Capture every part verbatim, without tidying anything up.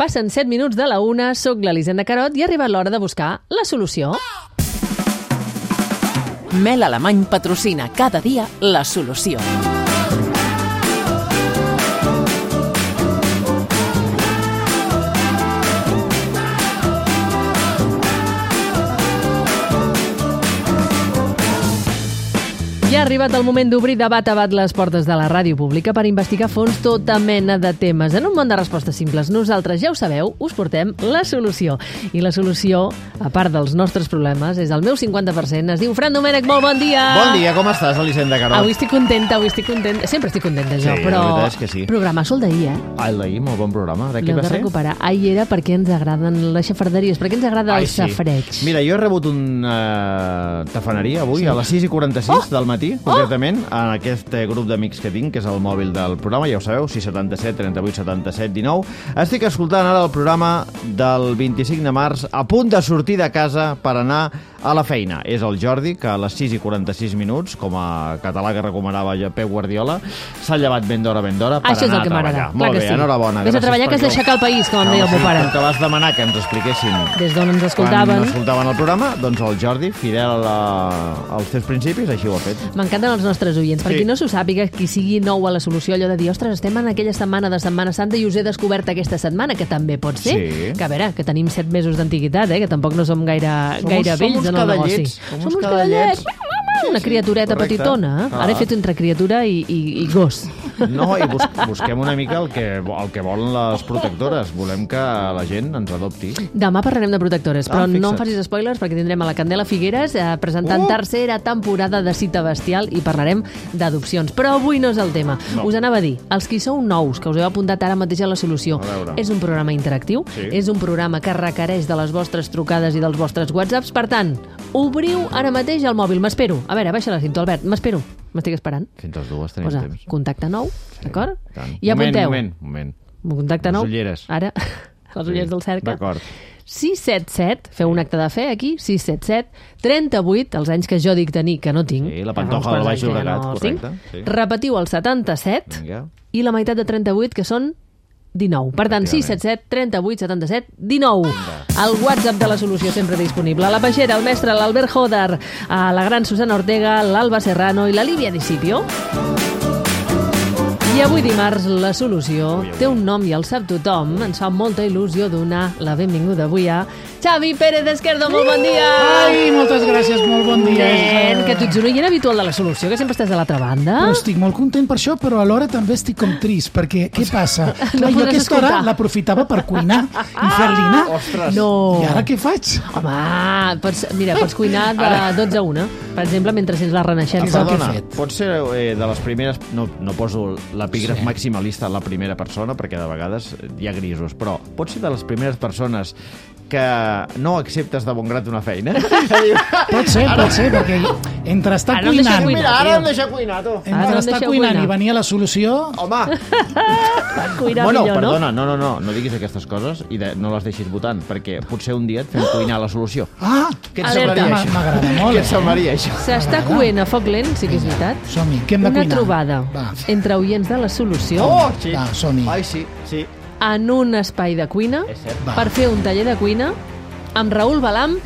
Passen set minuts de la una, soc l'Elisenda Carot i ha arribat l'hora de buscar la solució. Mel Alemany patrocina cada dia la solució. Ja ha arribat el moment d'obrir de bat a bat les portes de la ràdio pública per investigar a fons tota mena de temes. En un món de respostes simples, nosaltres, ja ho sabeu, us portem la solució. I la solució, a part dels nostres problemes, és el meu cinquanta per cent. Es diu Fran Domènech, molt bon dia! Bon dia, com estàs, Elisenda Carot? Avui estic contenta, avui estic contenta. Sempre estic contenta, jo, Sí, però... la veritat és que sí. Programasso el d'ahir, eh? Ah, el d'ahir, molt bon programa. De què L'heu va de ser? recuperar. Ahir era perquè ens agraden les xafarderies, perquè ens agrada Ai, el safreig. Mira, jo he rebut una uh, tafaneria avui, sí. a les sis i quaranta-sis oh! del matí, concretament, oh! en aquest grup d'amics que tinc, que és el mòbil del programa, ja ho sabeu, sis setanta-set, trenta-vuit, setanta-set, dinou. Estic escoltant ara el programa del vint-i-cinc de març, a punt de sortir de casa per anar a la feina. És el Jordi, que a les sis i quaranta-sis minuts, com a català que recomanava Pep Guardiola, s'ha llevat ben d'hora, ben d'hora, per Això és anar el que a treballar. m'agrada. Molt bé, sí. enhorabona. Vés a treballar, que has d'aixecar el país, com em deia el meu pare. Com que vas demanar que ens expliquessin Des d'on ens escoltaven. quan escoltaven el programa, doncs el Jordi, fidel a la, als teus principis, així ho ha fet. M'encanten els nostres oients. Per Sí. qui no s'ho sàpiga, qui sigui nou a la solució, allò de dir, ostres, estem en aquella setmana de Setmana Santa i us he descobert aquesta setmana, que també pot ser. Sí. Que a veure, que tenim set mesos d'antiguitat, eh? Que tampoc no som gaire, Som gaire uns- vells som uns en el negoci. cadallets, som uns Som uns cadallets. cadallets. Una Sí, sí, criatureta correcte. petitona. Ah. Ara he fet entre criatura i, i, i gos. No, i bus busquem una mica el que, el que volen les protectores. Volem que la gent ens adopti. Demà parlarem de protectores, però Ah, no em fixa't. facis spoilers perquè tindrem a la Candela Figueres eh, presentant Uh! tercera temporada de Cita Bestial i parlarem d'adopcions. Però avui no és el tema. No. Us anava a dir, els qui sou nous, que us heu apuntat ara mateix a la solució, A veure. és un programa interactiu, Sí. és un programa que requereix de les vostres trucades i dels vostres whatsapps. Per tant, obriu ara mateix el mòbil. M'espero. A veure, baixa la cinta, Albert. M'espero. M'estic esperant. Fins les dues tenim Posa temps. contacte nou, d'acord? Tant. I apunteu. Moment, moment, moment. Contacte Les nou. ulleres. Ara, les ulleres del cercle. D'acord. sis set set, feu un acte de fe aquí, sis set set, trenta-vuit, els anys que jo dic tenir, que no tinc. Sí, la que fa uns Pantoja del quants Baix anys que Llobregat, no els tinc. correcte, sí. Repetiu el setanta-set Vinga. i la meitat de trenta-vuit, que són dinou. Per tant, sis set set, trenta-vuit, setanta-set, dinou. El WhatsApp de la solució sempre disponible. La Peixera, el mestre, l'Albert Joder, a la gran Susana Ortega, l'Alba Serrano i la Lívia Discipio. I avui dimarts la solució té un nom i el sap tothom. Ens fa molta il·lusió donar la benvinguda avui a Xavi Pérez Esquerdo. Molt bon dia! Ai, moltes gràcies, molt bon dia. Nen, que tu ets un oient habitual de la solució, que sempre estàs a l'altra banda. Però estic molt content per això, però alhora també estic com trist, perquè què passa? Clar, jo podràs aquesta hora escoltar. l'aprofitava per cuinar i fer-li anar. Ostres! No. I ara què faig? Home, pots, mira, pots cuinar de dotze a una, per exemple, mentre sents la renaixença. Exacte. que he Perdona, fet. pot ser eh, de les primeres... No, no poso l'epígraf Sí. maximalista en la primera persona, perquè de vegades hi ha grisos, però pot ser de les primeres persones que no acceptes de bon grat una feina? Pot ser, pot ser, perquè entre estar Ara no em deixa cuinant, cuinar. Mira, ara em deixa cuinar, tu. Ara no entre em estar deixeu cuinant cuinar. i venir a la solució, Home! Cuinar Bueno, millor, perdona, no, no, no, no diguis aquestes coses i de, no les deixis votant, perquè potser un dia et fem cuinar la solució. ah, Què et Alerta. semblaria, M'a- això? m'agrada molt, Què et eh? semblaria, això? no? S'està coent a foc lent, sí que és veritat. som-hi, què hem de Una cuinar? trobada Va, entre oients de la solució Oh, sí. Va, som-hi. Ai, sí, sí. en un espai de cuina És cert. Va. per fer un taller de cuina amb Raül Balam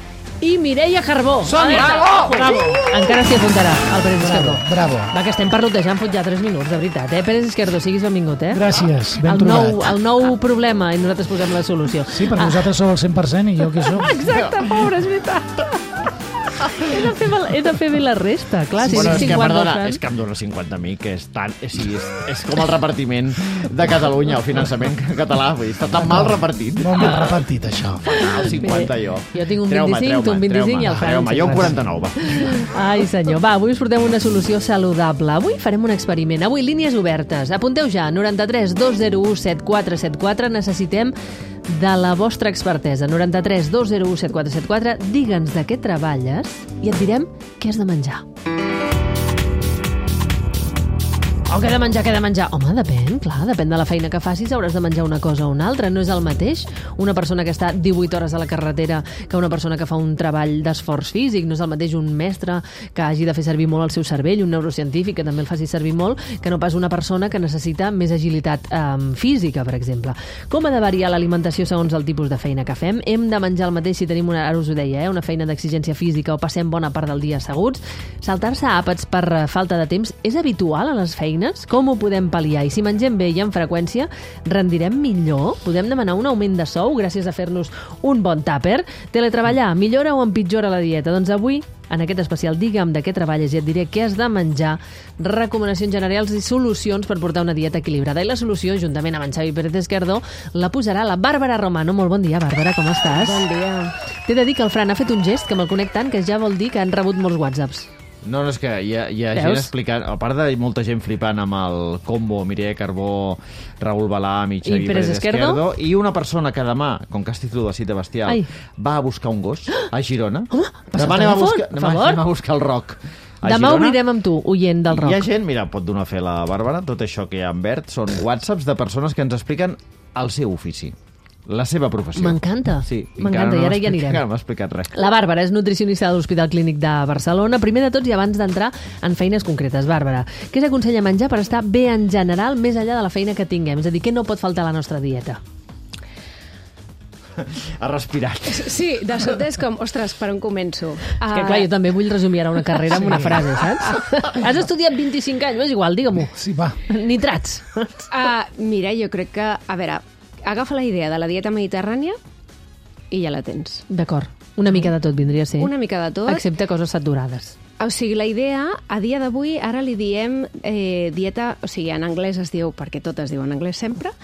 i Mireia Carbó. Som-hi! Alerta! Bravo! Bravo! Encara s'hi apuntarà, el Pérez Esquerdo. Bravo, bravo. Va, que estem parlotejant fot ja tres minuts, de veritat, eh? Pérez Esquerdo, siguis benvingut, eh? Gràcies, ben el trobat. nou, el nou problema, i nosaltres posem la solució. Sí, perquè vosaltres sou el cent per cent i jo què sóc? Exacte, pobre, és veritat. he, de fer, he de fer bé la resta, clar. Si Bueno, dic és que, cinquanta, perdona, Fran. és que em dona cinquanta a mi, que és tan... És, és, és com el repartiment de Catalunya, el finançament català, vull dir, està tan mal repartit. Molt mal repartit, això. El cinquanta jo. Jo tinc un Treu-me, vint-i-cinc, tu un treu-me, vint-i-cinc i el treu-me. Fran Treu-me, jo un cinquanta. quaranta-nou, va. Ai, senyor. Va, avui us portem una solució saludable. Avui farem un experiment. Avui línies obertes. Apunteu ja, noranta-tres dos zero u set quatre set quatre. Necessitem de la vostra expertesa. noranta-tres dos zero u set quatre set quatre. Digue'ns de què treballes i et direm què has de menjar. O què he de menjar, què he de menjar? Home, depèn, clar, depèn de la feina que facis, hauràs de menjar una cosa o una altra. No és el mateix una persona que està divuit hores a la carretera que una persona que fa un treball d'esforç físic. No és el mateix un mestre que hagi de fer servir molt el seu cervell, un neurocientífic que també el faci servir molt, que no pas una persona que necessita més agilitat eh, física, per exemple. Com ha de variar l'alimentació segons el tipus de feina que fem? Hem de menjar el mateix si tenim una, ara us ho deia, eh, una feina d'exigència física o passem bona part del dia asseguts? Saltar-se àpats per falta de temps és habitual a les feines? Com ho podem pal·liar? I si mengem bé i amb freqüència, rendirem millor? Podem demanar un augment de sou gràcies a fer-nos un bon tàper? Teletreballar millora o empitjora la dieta? Doncs avui, en aquest especial Digue'm de què treballes i et diré què has de menjar, recomanacions generals i solucions per portar una dieta equilibrada. I la solució, juntament amb en Xavi Pérez Esquerdó, la posarà la Bàrbara Romano. Molt bon dia, Bàrbara, com estàs? Bon dia. T'he de dir que el Fran ha fet un gest que me'l conec tant que ja vol dir que han rebut molts whatsapps. No, no, és que hi ha, hi ha gent explicant, a part de molta gent flipant amb el combo Mireia Carbó, Raül Balam i Xavi Pérez Esquerdo, i una persona que demà, com que has titulat de cita bestial, Ai. va a buscar un gos a Girona. Home, demà anem a, buscar, demà anem a buscar el Roc. Demà Girona. Obrirem amb tu, oient del Roc. Hi ha gent, mira, pot donar fe la Bàrbara, tot això que hi ha en verd són whatsapps de persones que ens expliquen el seu ofici. La seva professió. M'encanta. Sí, M'encanta, no i ara hi anirem. Encara no m'ha explicat res. La Bàrbara és nutricionista de l'Hospital Clínic de Barcelona. Primer de tots i abans d'entrar en feines concretes, Bàrbara, què s'aconsella menjar per estar bé en general més enllà de la feina que tinguem? És a dir, què no pot faltar a la nostra dieta? Ha respirat. Sí, de sobte és com, ostres, per on començo? És que clar, jo també vull resumir ara una carrera amb sí. una frase, saps? Has estudiat vint-i-cinc anys, és igual, digue-m'ho. Sí, va. Nitrats. Uh, mira, jo crec que, a veure, agafa la idea de la dieta mediterrània i ja la tens. D'acord. Una mica de tot vindria a ser. Una mica de tot. Excepte coses saturades. O sigui, la idea, a dia d'avui, ara li diem eh, dieta, o sigui, en anglès es diu, perquè tot es diu en anglès sempre,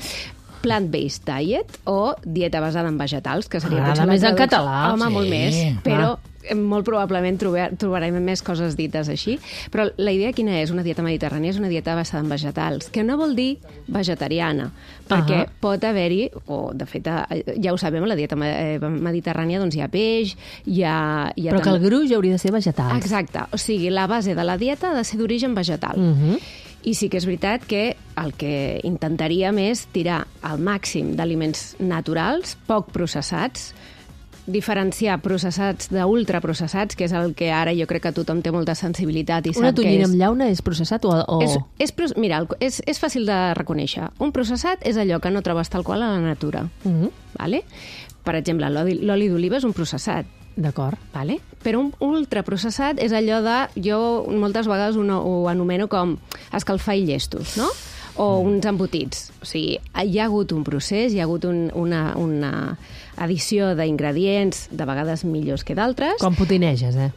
plant-based diet o dieta basada en vegetals, que seria... Ara més en català. Home, sí. molt més, però... Ah. Molt probablement trobar, trobarem més coses dites així, però la idea quina és? Una dieta mediterrània és una dieta basada en vegetals, que no vol dir vegetariana, perquè uh -huh. pot haver-hi, o de fet ja ho sabem, a la dieta mediterrània doncs hi ha peix, hi ha... Hi ha però també... que el gruix hauria de ser vegetal. Exacte, o sigui, la base de la dieta ha de ser d'origen vegetal. Uh -huh. I sí que és veritat que el que intentaríem és tirar al màxim d'aliments naturals, poc processats, diferenciar processats d'ultraprocessats, que és el que ara jo crec que tothom té molta sensibilitat i sap que és... Una tonyina amb llauna és processat o...? o... És, és, mira, és, és fàcil de reconèixer. Un processat és allò que no trobes tal qual a la natura. Uh-huh. Vale? Per exemple, l'oli d'oliva és un processat. D'acord. Vale? Però un ultraprocessat és allò de... Jo moltes vegades ho, ho anomeno com escalfar i llestos, no? O uns embotits. O sigui, hi ha hagut un procés, hi ha hagut un, una, una addició d'ingredients, de vegades millors que d'altres. Com potineges, eh?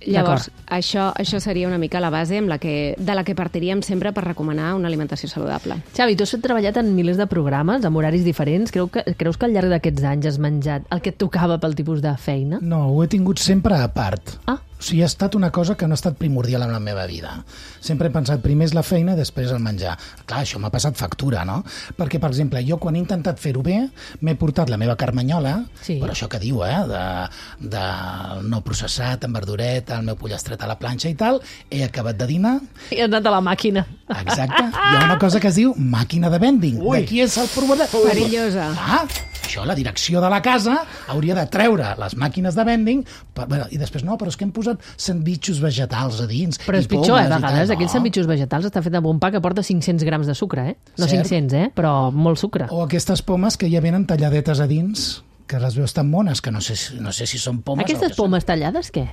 Llavors, això, això seria una mica la base amb la que, de la que partiríem sempre per recomanar una alimentació saludable. Xavi, tu has treballat en milers de programes, amb horaris diferents. Creu que, creus que al llarg d'aquests anys has menjat el que et tocava pel tipus de feina? No, ho he tingut sempre a part. Ah. O sigui, ha estat una cosa que no ha estat primordial en la meva vida. Sempre he pensat primer és la feina i després el menjar. Clar, això m'ha passat factura, no? Perquè, per exemple, jo quan he intentat fer-ho bé, m'he portat la meva carmanyola, sí. però això que diu, eh, de, de no processat, amb verdureta, el meu pollastre a la planxa i tal, he acabat de dinar... I has anat a la màquina. Exacte. Hi ha una cosa que es diu màquina de vending. Ui. D'aquí és el problema. Perillosa. Ah, això, la direcció de la casa hauria de treure les màquines de vending per, bueno, i després no, però és que hem posat sandvitxos vegetals a dins. Però és pitjor, eh, a vegades. Aquells sandvitxos vegetals està fet amb un pa que porta cinc-cents grams de sucre, eh? No Cert. cinc-cents, eh? Però molt sucre. O aquestes pomes que ja venen talladetes a dins, que les veus tan mones, que no sé, no sé si són pomes Aquestes o què pomes són. tallades, què?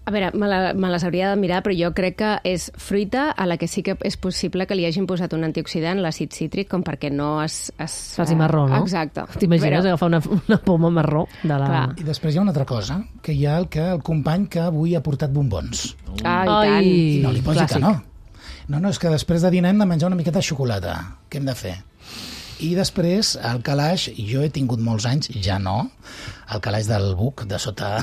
A veure, me, la, me les hauria de mirar, però jo crec que és fruita a la que sí que és possible que li hagin posat un antioxidant, l'àcid cítric, com perquè no es... es faci marró, no? Exacte. T'imagines però... agafar una, una poma marró de la... Clar. I després hi ha una altra cosa, que hi ha el, que, el company que avui ha portat bombons. Ah, i tant. I no li posi Clàssic. que no. No, no, és que després de dinar hem de menjar una miqueta de xocolata. Què hem de fer? I després, el calaix, jo he tingut molts anys, ja no, el calaix del buc, de sota...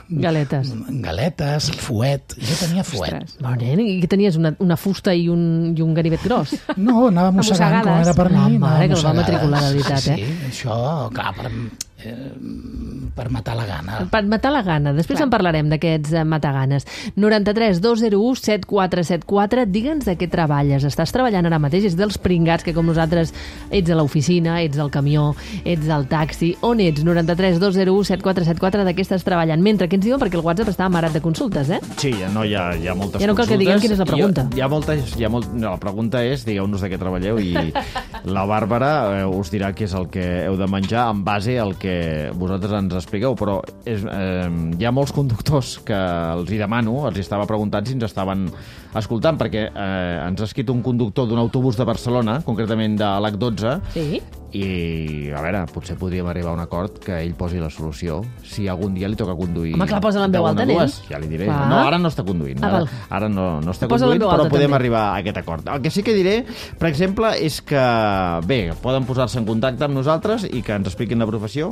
Galetes. Galetes, fuet. Jo tenia fuet. Ostres. Bon, nen, i què tenies? Una, una fusta i un, i un ganivet gros? No, anava mossegant com era per mi. Ah, anava mare, que el va mossegades. matricular, de veritat, sí, eh? Sí, això, clar, per, eh, per matar la gana. Per matar la gana. Després Clar. en parlarem d'aquests eh, mataganes. noranta-tres dos zero u set quatre set quatre. Digue'ns de què treballes. Estàs treballant ara mateix? És dels pringats que, com nosaltres, ets a l'oficina, ets al camió, ets al taxi. On ets? noranta-tres dos zero u set quatre set quatre. De què estàs treballant? Mentre, què ens diuen? Perquè el WhatsApp està amarat de consultes, eh? Sí, no, hi ha, hi ha moltes Ja no cal que consultes. diguem quina és la pregunta. Hi ha, hi ha moltes, hi ha molt, no, la pregunta és, digueu-nos de què treballeu i la Bàrbara eh, us dirà què és el que heu de menjar en base al que vosaltres ens expliqueu, però és, eh, hi ha molts conductors que els hi demano, els hi estava preguntant si ens estaven escoltant, perquè eh, ens ha escrit un conductor d'un autobús de Barcelona, concretament de l'H dotze, Sí. i, a veure, potser podríem arribar a un acord que ell posi la solució si algun dia li toca conduir. Home, clar, posa-la en veu de alta, una a nen. dues. Ja li diré. Clar. No, ara no està conduint. Ah, Ara, val. ara no, no està Posa-la en conduint, veu però alta, podem també. arribar a aquest acord. El que sí que diré, per exemple, és que, bé, poden posar-se en contacte amb nosaltres i que ens expliquin la professió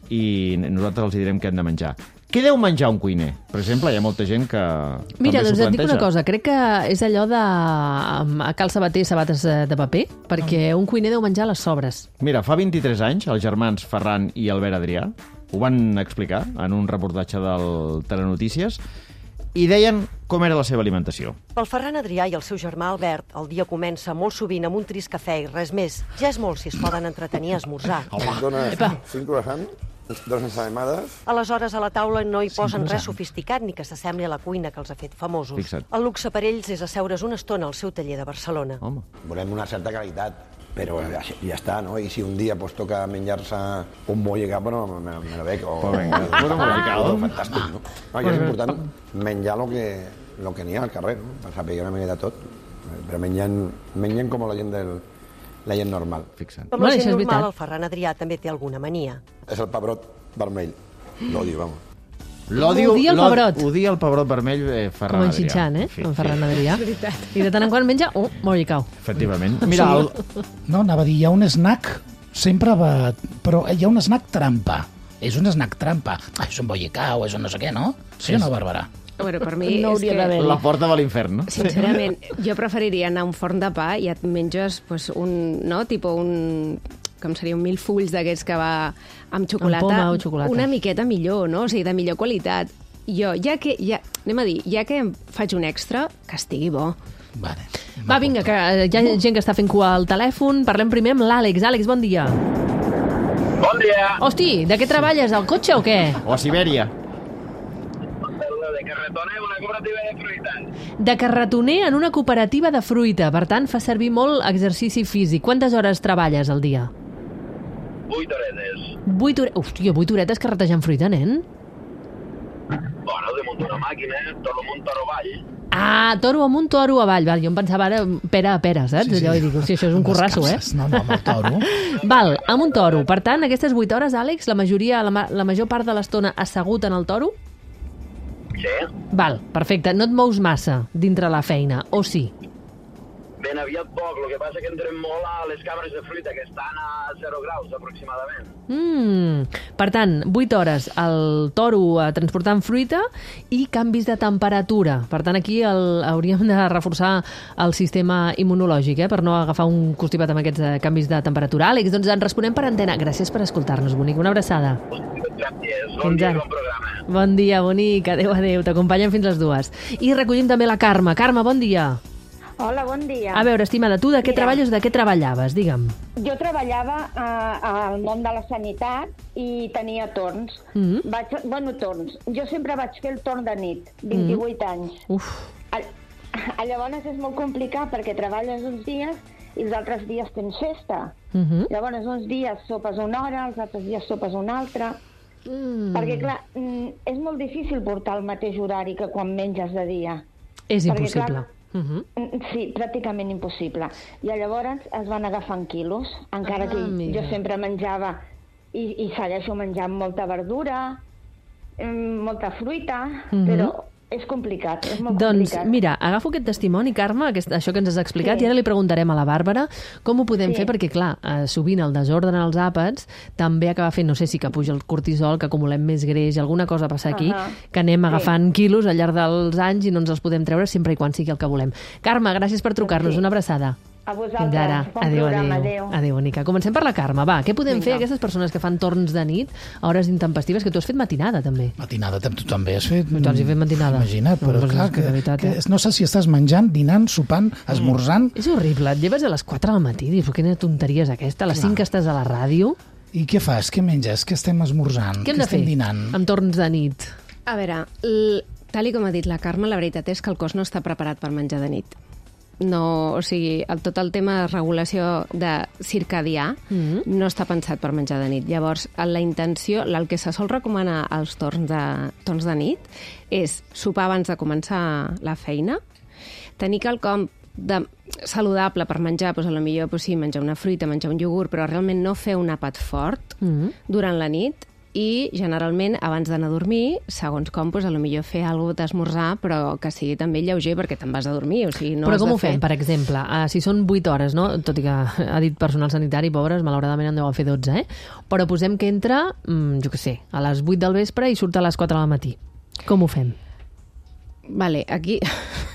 i nosaltres els direm què han de menjar. Què deu menjar un cuiner? Per exemple, hi ha molta gent que Mira, també doncs s'ho et dic planteja. una cosa. Crec que és allò de a cal sabater, sabates eh, de paper, perquè un cuiner deu menjar les sobres. Mira, fa vint-i-tres anys, els germans Ferran i Albert Adrià ho van explicar en un reportatge del Telenotícies i deien com era la seva alimentació. Pel Ferran Adrià i el seu germà Albert, el dia comença molt sovint amb un trist cafè i res més. Ja és molt si es poden entretenir a esmorzar. Em dones Epa. cinc croissants, dos ensaïmades. Aleshores, a la taula no hi posen res sofisticat ni que s'assembli a la cuina que els ha fet famosos. Fixa't. El luxe per ells és asseure's una estona al seu taller de Barcelona. Home. Volem una certa qualitat, però ja, ja està, no? I si un dia pues, toca menjar-se un bollicà, bueno, me, me lo bec. O, Pues venga, pues un bollicao. Fantàstic, no? no I és important menjar el que, lo que n'hi ha al carrer, no? Per saber una mica de tot. Però menjant, menjant com la gent del, la gent normal. Fixa't. Com Bueno, la això gent és normal, veritat. el Ferran Adrià també té alguna mania. És el pebrot vermell. L'odio, vamos. L'odio, Odia el l'od- pebrot. Odia el pebrot vermell eh, Ferran Com en Adrià. Xinxan, eh? Sí, En sí, Ferran Adrià. I de tant en quant menja, oh, bollicau. efectivament. Mira, el, No, anava a dir, hi ha un snack, sempre va... Però hi ha un snack trampa. És un snack trampa. Ah, és un bollicau, és un no sé què, no? Sí o no, Bàrbara? Bueno, per mi No és hauria que... d'haver. la porta de l'infern, no? Sincerament, jo preferiria anar a un forn de pa i et menges pues, un, no? Tipo un com seria un mil fulls d'aquests que va amb xocolata, Amb poma o xocolata. una miqueta millor, no? O sigui, de millor qualitat. Jo, ja que, ja, anem a dir, ja que em faig un extra, que estigui bo. Vale. Va, vinga, que eh, hi ha gent que està fent cua al telèfon. Parlem primer amb l'Àlex. Àlex, bon dia. Bon dia. Hosti, de què treballes? Al cotxe o què? O a Sibèria. De carretoner, una cooperativa de fruites. De carretoner en una cooperativa de fruita. Per tant, fa servir molt exercici físic. Quantes hores treballes al dia? Vuit horetes. Vuit horetes. Hòstia, vuit horetes carretejant fruita, nen? Bueno, de muntar una màquina, tot un toro avall. Ah, toro amunt, toro avall. Val, jo em pensava ara pera a pera, saps? Sí, sí. Allò, i dic, hòstia, això és un Amb les currasso, eh? capses. No, no, amb el toro. Val, amb un toro. Per tant, aquestes vuit hores, Àlex, la majoria, la, ma- la major part de l'estona assegut en el toro? Sí. Val, perfecte. No et mous massa dintre la feina, o sí? Ben aviat poc, el que passa que entrem molt a les cabres de fruita, que estan a zero graus aproximadament. Mm. Per tant, vuit hores al toro eh, transportant fruita i canvis de temperatura. Per tant, aquí el, hauríem de reforçar el sistema immunològic, eh, per no agafar un constipat amb aquests eh, canvis de temperatura. Àlex, doncs en responem per antena. Gràcies per escoltar-nos, bonic. Una abraçada. Gràcies. Fins Bon dia, ara. bon programa. Bon dia, bonic. Adéu, adéu. T'acompanyen fins les dues. I recollim també la Carme. Carme, bon dia. Hola, bon dia. A veure, estimada, tu de què Mira. treballes o de què treballaves? Digue'm. Jo treballava eh, al món de la sanitat i tenia torns. Mhm. Vaig, bueno, torns. Jo sempre vaig fer el torn de nit, vint-i-vuit anys. Uf. A, a llavors és molt complicat perquè treballes uns dies i els altres dies tens festa. Mhm. Llavors uns dies sopes una hora, els altres dies sopes una altra. Mm. Perquè, clar, mm, és molt difícil portar el mateix horari que quan menges de dia. És Perquè, impossible. clar, Mhm. Mm, Sí, pràcticament impossible. I llavors es van agafant quilos, encara Ah, que mira. jo sempre menjava i, i segueixo menjant molta verdura, mm, molta fruita, Mhm. però és complicat, és molt Doncs complicat. mira, agafo aquest testimoni, Carme, aquest, això que ens has explicat, Sí. i ara li preguntarem a la Bàrbara com ho podem Sí. fer, perquè clar, eh, sovint el desordre en els àpats també acaba fent, no sé si que puja el cortisol, que acumulem més greix, alguna cosa passa aquí, Ahà. que anem Sí. agafant quilos al llarg dels anys i no ens els podem treure sempre i quan sigui el que volem. Carme, gràcies per trucar-nos, Sí. una abraçada. A Fins vosaltres. ara. Bon Adéu, programa. adéu. Adéu. Adéu, Bonica. Comencem per la Carme, va. Què podem Vinga. fer aquestes persones que fan torns de nit a hores intempestives, que tu has fet matinada, també? Matinada, tu també has fet... Tu has fet matinada. Imagina't, però No, doncs clar, és que que, de veritat, que, eh? no sé si estàs menjant, dinant, sopant, esmorzant... És horrible. Et lleves a les quatre del matí, dius, quina tonteria és aquesta? A les Clar. cinc que estàs a la ràdio. I què fas? Què menges? Què estem esmorzant? Què hem de fer estem dinant? amb torns de nit? A veure, l... tal i com ha dit la Carme, la veritat és que el cos no està preparat per menjar de nit. No, o sigui, el, tot el tema de regulació de circadià Mm. no està pensat per menjar de nit. Llavors, la intenció, el que se sol recomanar als torns de, torns de nit és sopar abans de començar la feina, tenir quelcom de saludable per menjar, doncs, potser doncs, sí, menjar una fruita, menjar un iogurt, però realment no fer un àpat fort Mm. durant la nit, i generalment abans d'anar a dormir, segons com, doncs, potser fer alguna cosa d'esmorzar, però que sigui també lleuger perquè te'n vas a dormir. O sigui, no Però has com de ho fem, fer... per exemple? Uh, si són vuit hores, no? Tot i que ha dit personal sanitari, pobres, malauradament en deuen fer dotze, eh? Però posem que entra, mm, jo què sé, a les vuit del vespre i surt a les quatre del matí. Com ho fem? Vale, aquí...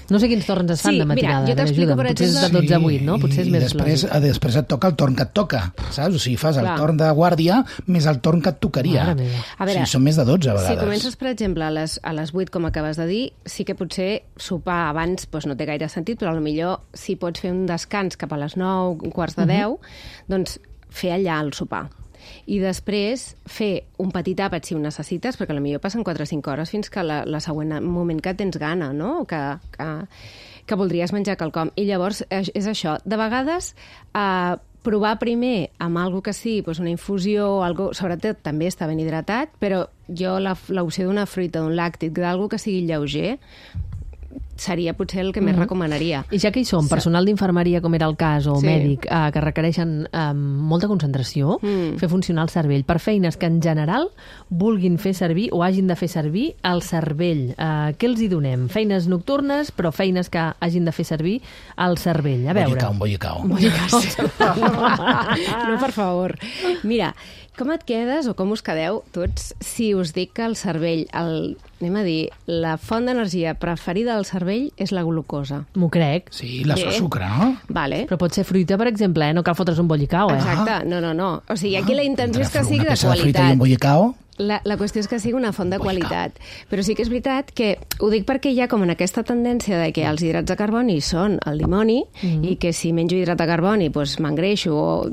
No sé quins torns es fan Sí, de matinada. mira, jo que t'explico, m'ajuden. per Potser és de exemple- dotze a vuit, no? Potser és I més després, lògic. eh, després et toca el torn que et toca, saps? O sigui, fas el Clar. torn de guàrdia més el torn que et tocaria. Mare meva. A veure, sí, són més de dotze a Si vegades. comences, per exemple, a les, a les vuit, com acabes de dir, sí que potser sopar abans doncs no té gaire sentit, però potser si pots fer un descans cap a les nou, quarts de deu, doncs fer allà el sopar. I després fer un petit àpat si ho necessites, perquè potser passen quatre o cinc hores fins que la, la següent moment que tens gana, no? Que, que, que voldries menjar quelcom. I llavors és, és això. De vegades, eh, provar primer amb algo que sí, doncs una infusió, algo, sobretot també està ben hidratat, però jo la- l'opció d'una fruita, d'un làctic, d'algo que sigui lleuger, seria potser el que més recomanaria. I ja que hi som, personal d'infermeria, com era el cas, o Sí. mèdic, eh, que requereixen eh, molta concentració, Mm. fer funcionar el cervell, per feines que en general vulguin fer servir o hagin de fer servir el cervell. Eh, què els hi donem? Feines nocturnes, però feines que hagin de fer servir el cervell. A veure. Bollicau, un bollicau. No, per favor. Mira, com et quedes o com us quedeu tots si us dic que el cervell, el, anem a dir, la font d'energia preferida del cervell és la glucosa? M'ho crec. Sí, la Bé. sucre, no? Vale. Però pot ser fruita, per exemple, eh? No cal fotre's un bollicau, eh? Exacte, no, no, no. O sigui, aquí la intenció és que Entre sigui una de peça de fruita i qualitat. un bollicau... La, la qüestió és que sigui una font de qualitat. Però sí que és veritat que ho dic perquè hi ha com en aquesta tendència de que els hidrats de carboni són el dimoni Mm. i que si menjo hidrat de carboni doncs m'engreixo, o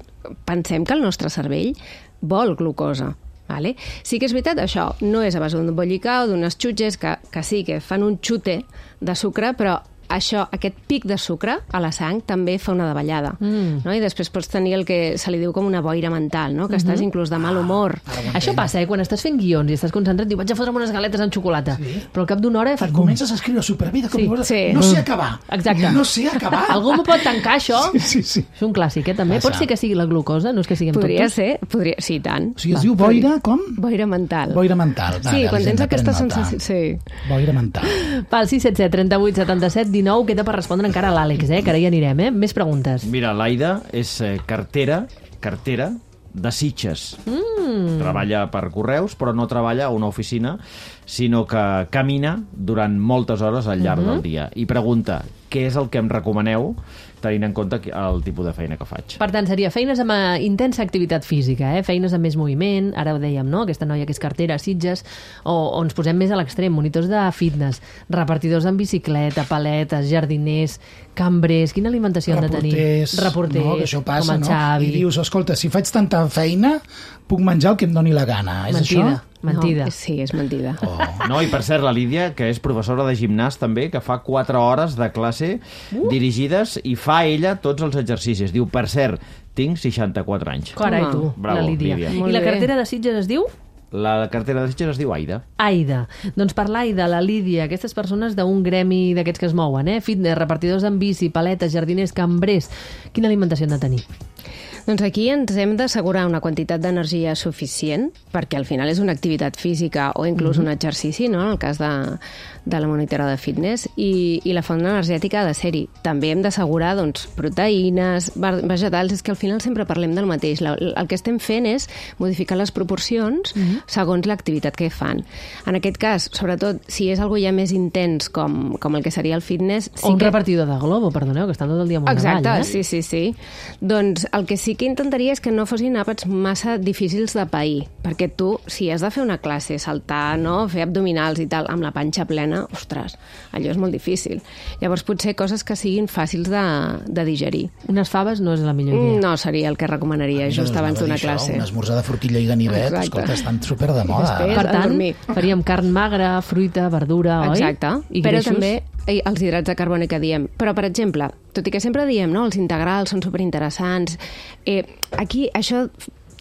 pensem que el nostre cervell vol glucosa. Vale? Sí que és veritat, això no és a base d'un bollicau, d'unes xutxes que, que sí, que fan un xute de sucre, però això, aquest pic de sucre a la sang també fa una davallada. Mm. No? I després pots tenir el que se li diu com una boira mental, no? que Mhm. estàs inclús de mal humor. Això passa, eh? Quan estàs fent guions i estàs concentrat, diu, vaig a fotre'm unes galetes amb xocolata. Sí. Però al cap d'una hora... Et Fas... comences a escriure superbé de cop Sí, i volta. sí. No sé acabar. Exacte. No sé acabar. Algú m'ho pot tancar, això? Sí, sí, sí. És un clàssic, eh, també. Passa. Pot ser que sigui la glucosa, no és que siguem Podria tontos? ser, podria... sí, i tant. O sigui, es diu boira, com? Boira mental. Boira mental. Sí, quan tens aquesta sensació. sensació... Sí. Boira mental. Pel sis set set, trenta-vuit, setanta-set, dinou, queda per respondre encara a l'Àlex, eh, que ara hi anirem, eh? Més preguntes. Mira, l'Aida és eh, cartera, cartera de Sitges. Mm. Treballa per correus, però no treballa a una oficina, sinó que camina durant moltes hores al llarg del dia. I pregunta, què és el que em recomaneu tenint en compte el tipus de feina que faig? Per tant, seria feines amb eh, intensa activitat física, eh? Feines amb més moviment, ara ho dèiem, no? Aquesta noia que és cartera, Sitges, o, o ens posem més a l'extrem, monitors de fitness, repartidors en bicicleta, paletes, jardiners, cambrers, quina alimentació han de tenir? Reporters, Reporters, no? Que això passa, com el no? Xavi. I dius, escolta, si faig tanta feina, puc menjar el que em doni la gana. És Mentida, això? mentida. No, sí, és mentida. Oh. No, i per cert, la Lídia, que és professora de gimnàs també, que fa quatre hores de classe uh. dirigides i fa ella tots els exercicis. Diu, per cert, tinc seixanta-quatre anys. Carai, Home. tu, Bravo, la Lídia. Lídia. I Molt la bé. cartera de Sitges es diu? La cartera de Sitges es diu Aida. Aida. Doncs per l'Aida, la Lídia, aquestes persones d'un gremi d'aquests que es mouen, eh? Fitness, repartidors en bici, paletes, jardiners, cambrers. Quina alimentació han de tenir? Doncs aquí ens hem d'assegurar una quantitat d'energia suficient, perquè al final és una activitat física o inclús mm-hmm. un exercici, no?, en el cas de, de la monitora de fitness, i, i la font energètica ha de ser-hi. També hem d'assegurar doncs, proteïnes, vegetals, és que al final sempre parlem del mateix. La, el que estem fent és modificar les proporcions mm-hmm. segons l'activitat que fan. En aquest cas, sobretot, si és algo ja més intens com, com el que seria el fitness... Sí o un que... repartidor de Globo, perdoneu, que estan tot el dia amunt Exacte, avall, eh? sí, sí, sí. Doncs el que sí que intentaria és que no fossin àpats massa difícils de pair, perquè tu, si has de fer una classe, saltar, no?, fer abdominals i tal, amb la panxa plena, ostres, allò és molt difícil. Llavors, potser coses que siguin fàcils de, de digerir. Unes faves no és la millor idea. No seria el que recomanaria just abans d'una classe. Un esmorzar de forquilla i ganivet, Exacte. escolta, estan super de moda. Després, per tant, dormir. faríem carn magra, fruita, verdura, oi? Exacte, I però greixos? també eh, els hidrats de carboni que diem. Però, per exemple, tot i que sempre diem, no?, els integrals són superinteressants, eh, aquí això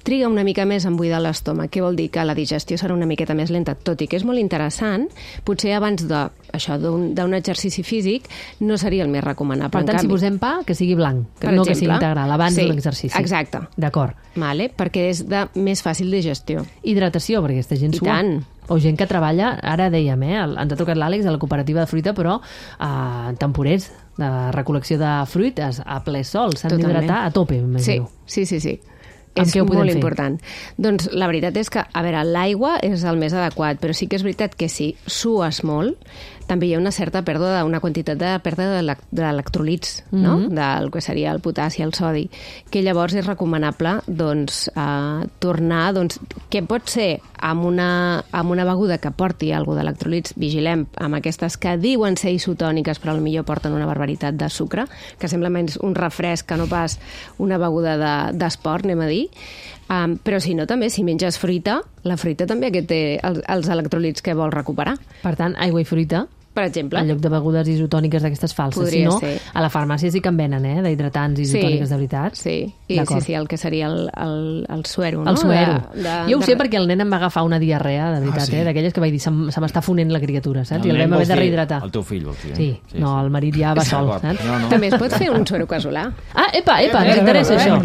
triga una mica més en buidar l'estómac. Què vol dir? Que la digestió serà una miqueta més lenta, tot i que és molt interessant, potser abans de, això d'un, d'un exercici físic no seria el més recomanable. Per tant, en canvi, si posem pa, que sigui blanc, que per no exemple, que sigui integral, abans sí, de l'exercici. Exacte. D'acord. Vale? Perquè és de més fàcil digestió. Hidratació, perquè aquesta gent I sua. tant. O gent que treballa, ara dèiem, eh, ens ha trucat l'Àlex a la cooperativa de fruita, però a temporers de recol·lecció de fruites a ple sol, s'han d'hidratar a tope, m'imagino. Sí, sí, sí, sí. Amb És què ho podem molt fer? important. Doncs la veritat és que, a veure, l'aigua és el més adequat, però sí que és veritat que si sues molt, també hi ha una certa pèrdua, una quantitat de pèrdua d'electrolits, mm-hmm. no?, del que seria el potassi, el sodi, que llavors és recomanable doncs, eh, tornar, doncs, que pot ser amb una, amb una beguda que porti alguna d'electrolits, vigilem amb aquestes que diuen ser isotòniques, però potser porten una barbaritat de sucre, que sembla menys un refresc que no pas una beguda de, d'esport, anem a dir. Um, però si no, també, si menges fruita, la fruita també que té els, els electrolits que vol recuperar. Per tant, aigua i fruita, per exemple. en lloc de begudes isotòniques d'aquestes falses. Podria si no, ser. a la farmàcia sí que en venen, eh, d'hidratants isotòniques sí, de veritat. Sí, I, sí, sí, el que seria el, el, el suero, no? El suero. De, de, jo ho sé de... perquè el nen em va agafar una diarrea, de veritat, ah, sí? eh, d'aquelles que vaig dir, se, se m'està fonent la criatura, saps? El I el vam haver de rehidratar. El teu fill, vols dir? Eh? Sí, sí, no, el marit ja va sol, saps? No, no. També es pot fer un suero casolà. Ah, epa, epa, ens interessa això.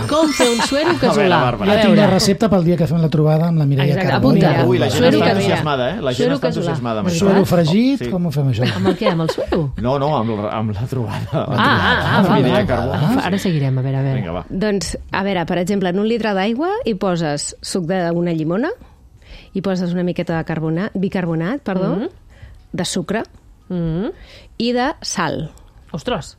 Com fer un suero casolà? Jo tinc la recepta pel dia que fem la trobada amb la Mireia Carbó. Apunta. Ui, la gent Suero està casolà. entusiasmada, eh? La gent Suero està casolà. entusiasmada amb això. Suero fregit, Sí. com ho fem això? Amb el què? Amb el suero? No, no, amb, la- amb la trobada. Ah, ah, ah, val, Mireia val. Carbó. Ah, ara seguirem, a veure, a veure. Vinga, va. Doncs, a veure, per exemple, en un litre d'aigua hi poses suc d'una llimona, hi poses una miqueta de carbonat, bicarbonat, perdó, Mhm. de sucre Mm. i de sal. Ostres.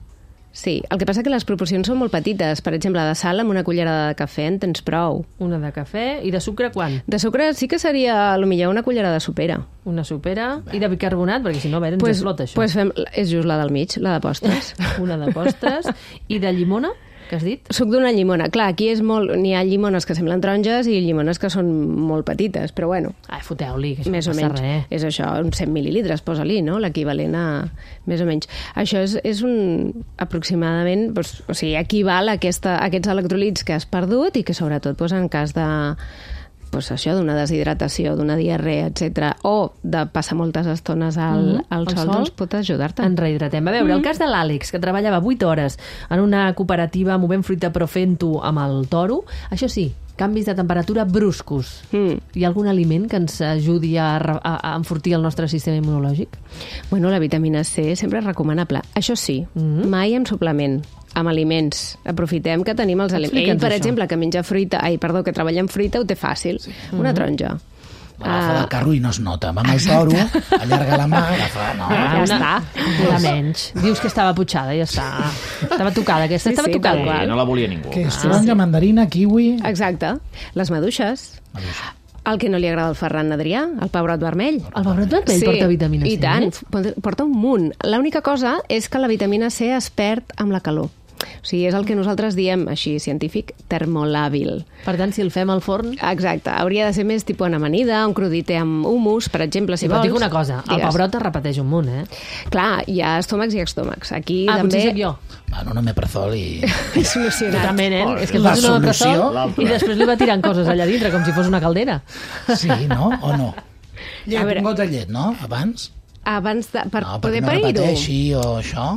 Sí, el que passa que les proporcions són molt petites. Per exemple, de sal amb una cullerada de cafè en tens prou. Una de cafè i de sucre quan? De sucre sí que seria, potser una cullerada sopera. Una sopera i de bicarbonat, perquè si no, a veure, ens Pues, explota això. pues fem, és just la del mig, la de postres. Una de postres i de llimona, que has dit? Suc d'una llimona. Clar, aquí és molt... N'hi ha llimones que semblen taronges i llimones que són molt petites, però bueno. Ai, foteu-li, que això Més no o passa menys. res. És això, uns cent mil·lilitres, posa-li, no? L'equivalent a... Més o menys. Això és, és un... aproximadament... Doncs, o sigui, equival a, aquesta, a aquests electrolits que has perdut i que, sobretot, doncs, en cas de... Pues això, d'una deshidratació, d'una diarrea, etcètera, o de passar moltes estones al, Mhm, al al sol, sol. doncs pot ajudar-te. Ens rehidratem. A veure, Mm. el cas de l'Àlex, que treballava vuit hores en una cooperativa movent fruita però fent-ho amb el toro, això sí, canvis de temperatura bruscos. Mm. Hi ha algun aliment que ens ajudi a, re- a, a enfortir el nostre sistema immunològic? Bueno, la vitamina C sempre és recomanable. Això sí, Mhm. mai amb suplement, amb aliments. Aprofitem que tenim els aliments. Ell, Explica'ns per això. exemple, que menja fruita, ai, perdó, que treballa amb fruita, ho té fàcil. Sí. Una Mhm. taronja. Agafa Ah. del carro i no es nota. Va amb el toro, allarga la mà, agafa... No. Ja està. Una menys. Dius que estava putxada, ja està. Estava tocada, aquesta Sí, estava sí, tocada. tal qual. Eh, no la volia ningú. Què és? Taronja, mandarina, kiwi... Exacte. Les maduixes. El que no li agrada al Ferran Adrià, el pebrot vermell. El pebrot vermell porta vitamina C? I tant, porta un munt. L'única cosa és que la vitamina C es perd amb la calor. O sigui, és el que nosaltres diem, així científic, termolàbil. Per tant, si el fem al forn... Exacte. Hauria de ser més tipus en amanida, un crudité amb humus, per exemple, si Sí, però vols. et dic una cosa, el Digues. pebrot es repeteix un munt, eh? Clar, hi ha estómacs i estómacs. Aquí Ah, també... potser soc jo. Bueno, un omeprazol i... És solucionat. Totalment, eh? És que La fas una solució, omeprazol i després li va tirant coses allà dintre, com si fos una caldera. Sí, no? O no? Llet, A veure. un got de llet, no? Abans? Abans de... Per No, perquè poder no parir-ho. repeteixi o això.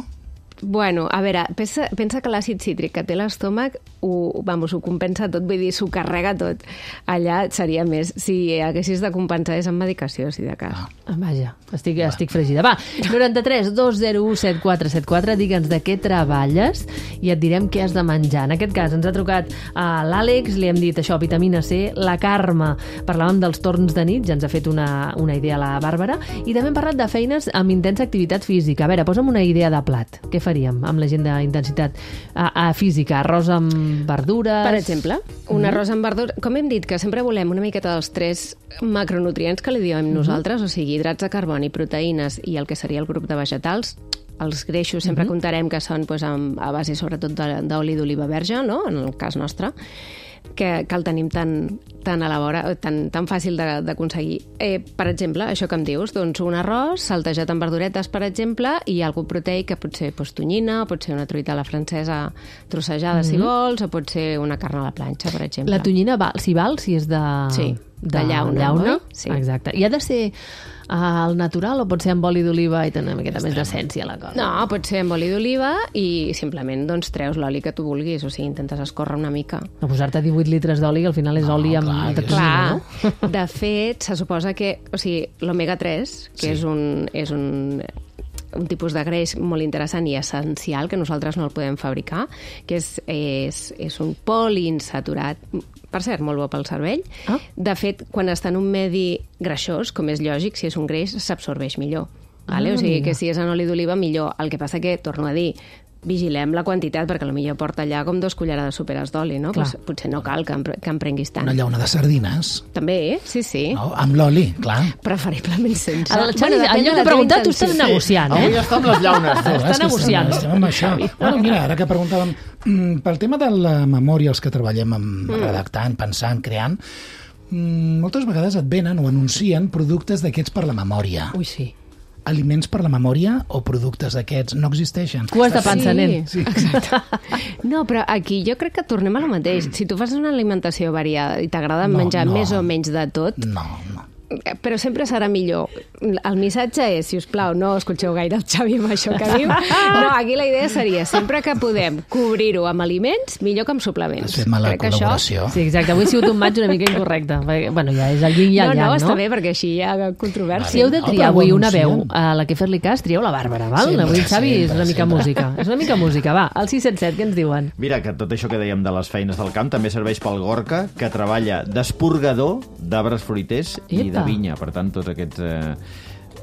Bueno, a veure, pensa, pensa que l'àcid cítric que té l'estómac ho, vamos, ho compensa tot, vull dir, s'ho carrega tot. Allà seria més, si haguessis de compensar és amb medicació, si de cas. Ah, vaja, estic, estic fregida. Va, noranta-tres dos zero u set quatre set quatre, digue'ns de què treballes i et direm què has de menjar. En aquest cas ens ha trucat a l'Àlex, li hem dit això, vitamina C, la Carme, parlàvem dels torns de nit, ja ens ha fet una, una idea la Bàrbara, i també hem parlat de feines amb intensa activitat física. A veure, posa'm una idea de plat. Què faríem amb la gent d'intensitat a, a física? Arròs amb verdures? Per exemple, un arròs amb verdures. Com hem dit, que sempre volem una miqueta dels tres macronutrients que li diem mm-hmm. nosaltres, o sigui, hidrats de carboni, proteïnes i el que seria el grup de vegetals. Els greixos sempre mm-hmm. contarem que són pues, amb, a base sobretot d'oli d'oliva verge, no? En el cas nostre, que, que el tenim tan, tan a la vora, tan, tan fàcil d'aconseguir. Eh, per exemple, això que em dius, doncs un arròs saltejat amb verduretes, per exemple, i algú proteic que pot ser pues, tonyina, pot ser una truita a la francesa trossejada, mm-hmm. si vols, o pot ser una carn a la planxa, per exemple. La tonyina val, si val, si és de... Sí, de, de llauna. llauna? Sí. Exacte. I ha de ser al natural o pot ser amb oli d'oliva i tenir una miqueta més d'essència la cosa? No, pot ser amb oli d'oliva i simplement doncs, treus l'oli que tu vulguis, o sigui, intentes escórrer una mica. No posar-te divuit litres d'oli, que al final és no, oli amb clar, de tonyina, no? De fet, se suposa que, o sigui, l'omega tres, que sí. és un... És un un tipus de greix molt interessant i essencial, que nosaltres no el podem fabricar, que és, és, és un poliinsaturat, per cert, molt bo pel cervell. Ah. De fet, quan està en un medi greixós, com és lògic, si és un greix, s'absorbeix millor. Vale? Ah, o sigui, que si és en oli d'oliva, millor. El que passa que, torno a dir, vigilem la quantitat, perquè potser porta allà com dos cullerades superes d'oli, no? Pues, potser no cal que em, que em prenguis tant. Una llauna de sardines. També, sí, sí. No, amb l'oli, clar. Preferiblement sense. Ara, el Xavi, en lloc de preguntar, tu estàs negociant, eh? Avui està amb les llaunes. Està negociant. Estem, estem amb això. Bueno, mira, ara que preguntàvem, mm, pel tema de la memòria, els que treballem amb mm. redactant, pensant, creant, mm, moltes vegades et venen o anuncien productes d'aquests per la memòria. Ui, sí. Aliments per la memòria o productes d'aquests no existeixen. Cues de pansa, sí, nen. Sí, exacte. No, però aquí jo crec que tornem a lo mateix. Si tu fas una alimentació variada i t'agrada no, menjar no. més o menys de tot... No, no. Però sempre serà millor. El missatge és, si us plau, no escolteu gaire el Xavi amb això que diu. No, aquí la idea seria, sempre que podem cobrir-ho amb aliments, millor que amb suplements. Has fet mala crec col·laboració. Això... Sí, exacte. Avui ha sigut un maig una mica incorrecte. Perquè, bueno, ja és el yin i el no, yang, no? No, està bé, perquè així hi ha controvèrsia. Si heu de triar oh, avui una sí. veu a la que fer-li cas, trieu la Bàrbara, val? Sempre, avui el Xavi sempre, és una mica sempre. música. És una mica música, va. Al sis set set, què ens diuen? Mira, que tot això que dèiem de les feines del camp també serveix pel Gorka, que treballa d'esporgador d'arbres fruiters i Epa. de vinya. Per tant, tots aquests... Eh...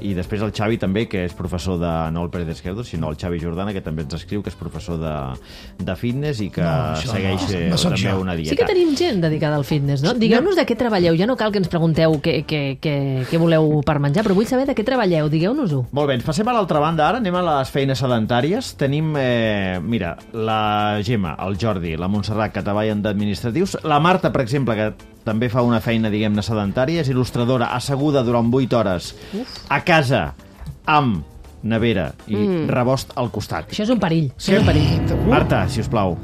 I després el Xavi també, que és professor de... No el Pérez Esquerdo, sinó el Xavi Jordana, que també ens escriu, que és professor de, de fitness i que No, això segueix no, eh, no soc també jo. una dieta. Sí que tenim gent dedicada al fitness, no? Digueu-nos de què treballeu. Ja no cal que ens pregunteu què, què, què, què voleu per menjar, però vull saber de què treballeu. Digueu-nos-ho. Molt bé, ens passem a l'altra banda ara, anem a les feines sedentàries. Tenim, eh, mira, la Gemma, el Jordi, la Montserrat, que treballen d'administratius. La Marta, per exemple, que també fa una feina, diguem-ne, sedentària, és il·lustradora, asseguda durant vuit hores Uf. a casa, amb nevera i mm. rebost al costat. Això és un perill. Això és un perill. Marta, si us plau.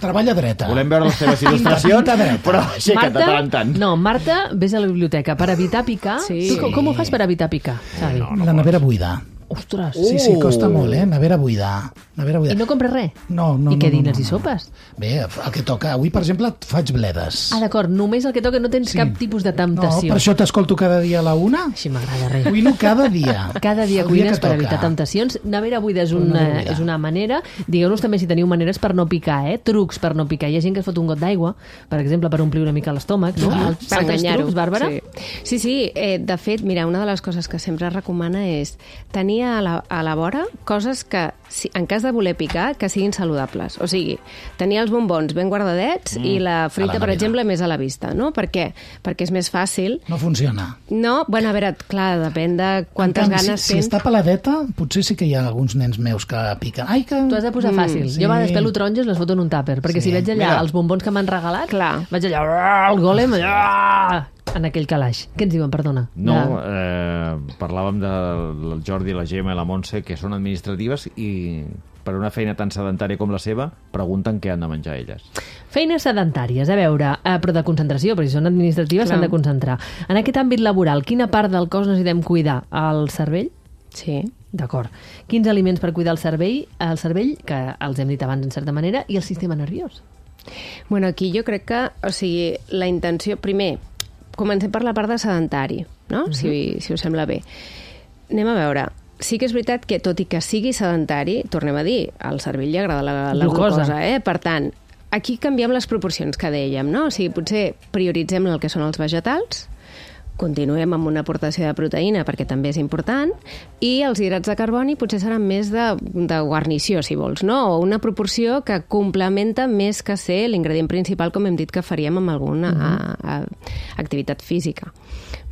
Treballa dreta. Volem veure les teves il·lustracions, però aixeca't de tant en tant. No, Marta, vés a la biblioteca per evitar picar. Sí. Tu, com, com ho fas per evitar picar, Xavi? No, no la nevera buida. Ostres. Sí, sí, costa molt, eh? Nevera buida. Nevera buida. I no compres res? No, no, I què no, dines no, i no. sopes? Bé, el que toca. Avui, per exemple, faig bledes. Ah, d'acord, només el que toca, no tens Sí. cap tipus de No, temptació. per això t'escolto cada dia a la una. Així m'agrada res. Cuino cada dia. Cada dia El cuines que per toca. evitar temptacions. Nevera buida és una, Nevera buida. és una manera. Digueu-nos també si teniu maneres per no picar, eh? Trucs per no picar. Hi ha gent que es fot un got d'aigua, per exemple, per omplir una mica l'estómac. No? Ah, Altres per enganyar-ho. trucs, Bàrbara? Sí, sí, sí eh, de fet, mira, una de les coses que sempre es recomana és tenir a la, a la vora coses que, si, en cas de voler picar, que siguin saludables. O sigui, tenir els bombons ben guardadets mm, i la fruita, a la per nevera. exemple, més a la vista, no? Per què? Perquè és més fàcil. No funciona. No, bueno, a veure, clar, depèn de quantes En canvi, ganes si, si tens. està peladeta, potser sí que hi ha alguns nens meus que piquen. Ai, que... Tu has de posar fàcil. sí. Jo a vegades pelo taronges, les foto en un tàper, perquè Sí. si veig allà Mira. els bombons que m'han regalat, Clar. vaig allà, el gòlem, allà, en aquell calaix. Què ens diuen, perdona? No, De- eh, parlàvem del Jordi, la Gemma i la Montse, que són administratives i per una feina tan sedentària com la seva, pregunten què han de menjar elles. Feines sedentàries, a veure, eh, però de concentració, perquè si són administratives Clar. s'han de concentrar. En aquest àmbit laboral, quina part del cos necessitem cuidar? El cervell? Sí, D'acord. Quins aliments per cuidar el cervell, el cervell, que els hem dit abans en certa manera, i el sistema nerviós? Bueno, aquí jo crec que, o sigui, la intenció... Primer, comencem per la part de sedentari, no? Uh-huh. si, si us sembla bé. Anem a veure. Sí que és veritat que, tot i que sigui sedentari, tornem a dir, al cervell li agrada la, la glucosa, glucosa eh? Per tant, aquí canviem les proporcions que dèiem, no? O sigui, potser prioritzem el que són els vegetals, continuem amb una aportació de proteïna perquè també és important, i els hidrats de carboni potser seran més de, de guarnició, si vols, no? O una proporció que complementa més que ser l'ingredient principal, com hem dit que faríem amb alguna uh-huh. a, a, activitat física.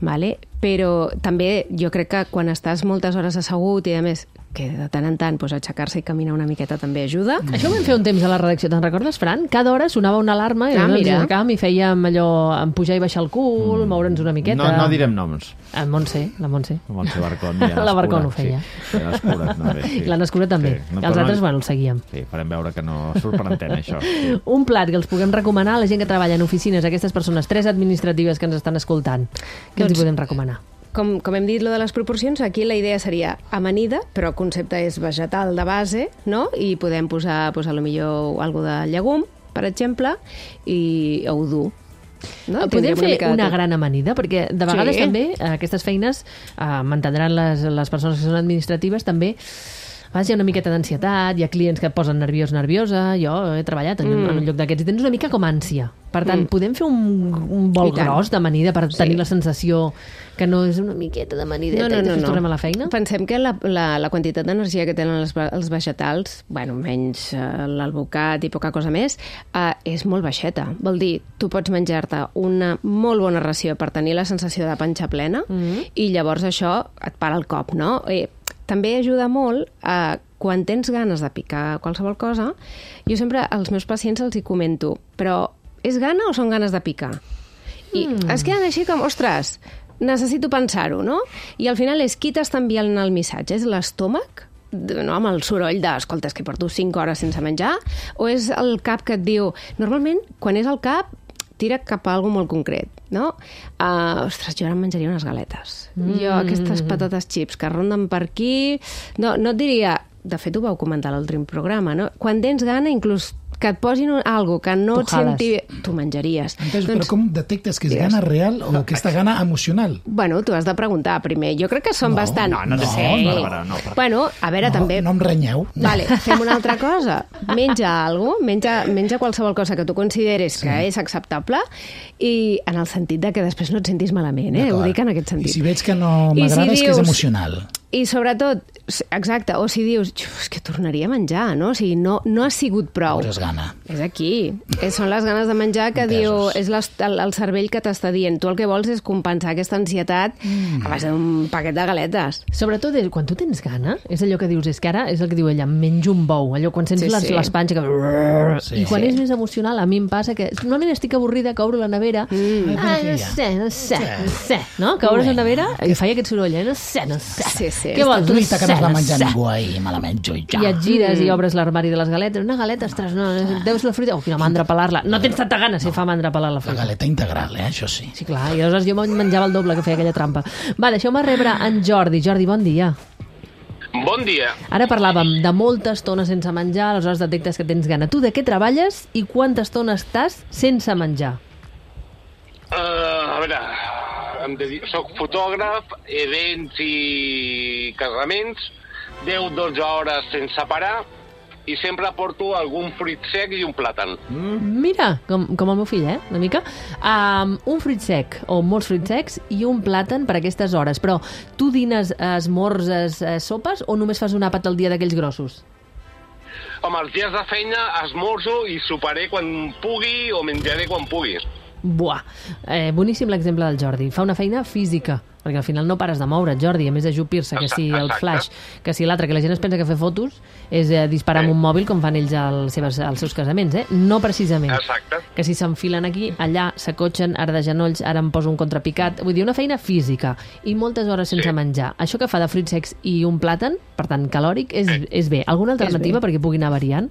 Vale? Però també jo crec que quan estàs moltes hores assegut i a més que de tant en tant pues, aixecar-se i caminar una miqueta també ajuda. Mm. Això ho vam fer un temps a la redacció, te'n recordes, Fran? Cada hora sonava una alarma i ah, ens aixecàvem i fèiem allò, en pujar i baixar el cul, mm. moure'ns una miqueta. No, no direm noms. En Montse, la Montse. La Montse Barcón. Ja la Barcón ho feia. Sí, ja l'escura també. Sí. La Nescura també. Sí. No, els altres, no... bueno, el seguíem. Sí, farem veure que no surt per antena, això. Sí. Un plat que els puguem recomanar a la gent que treballa en oficines, aquestes persones, tres administratives que ens estan escoltant. Què doncs, els hi podem recomanar? Com, com hem dit, lo de les proporcions, aquí la idea seria amanida, però el concepte és vegetal de base, no? I podem posar, pues, a lo millor, algo de llegum, per exemple, i ou dur. No? Podem fer una, una gran amanida, perquè de vegades sí. també aquestes feines, eh, m'entendran les, les persones que són administratives, també a vegades hi ha una miqueta d'ansietat, hi ha clients que et posen nerviós, nerviosa, jo he treballat en, mm. en un lloc d'aquests i tens una mica com ànsia. Per tant, mm. podem fer un, un bol gros d'amanida per sí. tenir la sensació que no és una miqueta d'amanideta no, no, no, i després no. tornem a la feina? Pensem que la, la, la quantitat d'energia que tenen els, els vegetals, bueno, menys uh, l'alvocat i poca cosa més, uh, és molt baixeta. Vol dir, tu pots menjar-te una molt bona ració per tenir la sensació de panxa plena mm. i llavors això et para el cop, no? Eh, també ajuda molt a quan tens ganes de picar qualsevol cosa, jo sempre als meus pacients els hi comento, però és gana o són ganes de picar? I mm. es queden així com, ostres, necessito pensar-ho, no? I al final és qui t'està enviant el missatge? És l'estómac? No, amb el soroll de, escolta, és que porto cinc hores sense menjar? O és el cap que et diu... Normalment, quan és el cap, tira cap a alguna molt concret, no? Uh, ostres, jo ara em menjaria unes galetes. Mm. Jo, aquestes patates chips que ronden per aquí... No, no et diria... De fet, ho vau comentar a l'últim programa, no? Quan tens gana, inclús que et posin un, algo que no et senti bé, tu menjaries. Entonces, doncs, però com detectes que és gana real o aquesta gana emocional? Bueno, tu has de preguntar primer. Jo crec que són no, bastant... No, no, no, sí. no, Bàrbara, no. Per... Bueno, a veure, no, també... No em renyeu. Vale, fem una altra cosa. Menja alguna cosa, menja, menja qualsevol cosa que tu consideres sí. que és acceptable i en el sentit de que després no et sentis malament, eh? Ho dic en aquest sentit. I si veig que no m'agrada si és dius... que és emocional. I sobretot, exacte, o si dius, és que tornaria a menjar, no? O sigui, no, no ha sigut prou. Veuràs gana. És aquí. Són les ganes de menjar que Entesos. diu, és el, el cervell que t'està dient. Tu el que vols és compensar aquesta ansietat mm. a base d'un paquet de galetes. Sobretot, quan tu tens gana, és allò que dius, és que ara és el que diu ella, menjo un bou, allò quan sents sí, les, sí. les panxes que... Sí, I quan sí. és més emocional, a mi em passa que normalment estic avorrida que obro la nevera, mm. ah, no sé, no sé, no sé, no? Que obres la nevera i faig aquest soroll, eh? no sé, no sé. Sí, sí. Què vols? No sé, que no es va menjar ningú ahir, me la menjo i ja. I et gires mm. i obres l'armari de les galetes. Una galeta, ostres, no, deus la fruita. Oh, quina mandra pelar-la. No tens tanta gana si no. fa mandra pelar la fruita. La galeta integral, eh? Això sí. Sí, clar. I aleshores jo menjava el doble que feia aquella trampa. Va, deixeu-me rebre en Jordi. Jordi, bon dia. Bon dia. Ara parlàvem de molta estona sense menjar, aleshores detectes que tens gana. Tu de què treballes i quanta estona estàs sense menjar? Uh, a veure, em dedico, soc fotògraf, events i casaments, deu a dotze hores sense parar, i sempre porto algun fruit sec i un plàtan. Mm. Mira, com, com el meu fill, eh? Una mica. Um, un fruit sec, o molts fruits secs, i un plàtan per aquestes hores. Però tu dines esmorzes, eh, sopes, o només fas un àpat al dia d'aquells grossos? Home, els dies de feina esmorzo i soparé quan pugui o menjaré quan pugui. Buah, eh, boníssim l'exemple del Jordi. Fa una feina física, perquè al final no pares de moure't, Jordi, a més d'ajupir-se, que si el flash, que si l'altre, que la gent es pensa que fer fotos és eh, disparar sí. amb un mòbil com fan ells als seus, als seus casaments, eh? No precisament. Exacte. Que si s'enfilen aquí, allà, s'acotxen, ara de genolls, ara em poso un contrapicat, vull dir, una feina física i moltes hores sense sí. menjar. Això que fa de fruits secs i un plàtan, per tant, calòric, és, sí. és bé. Alguna alternativa perquè pugui anar variant?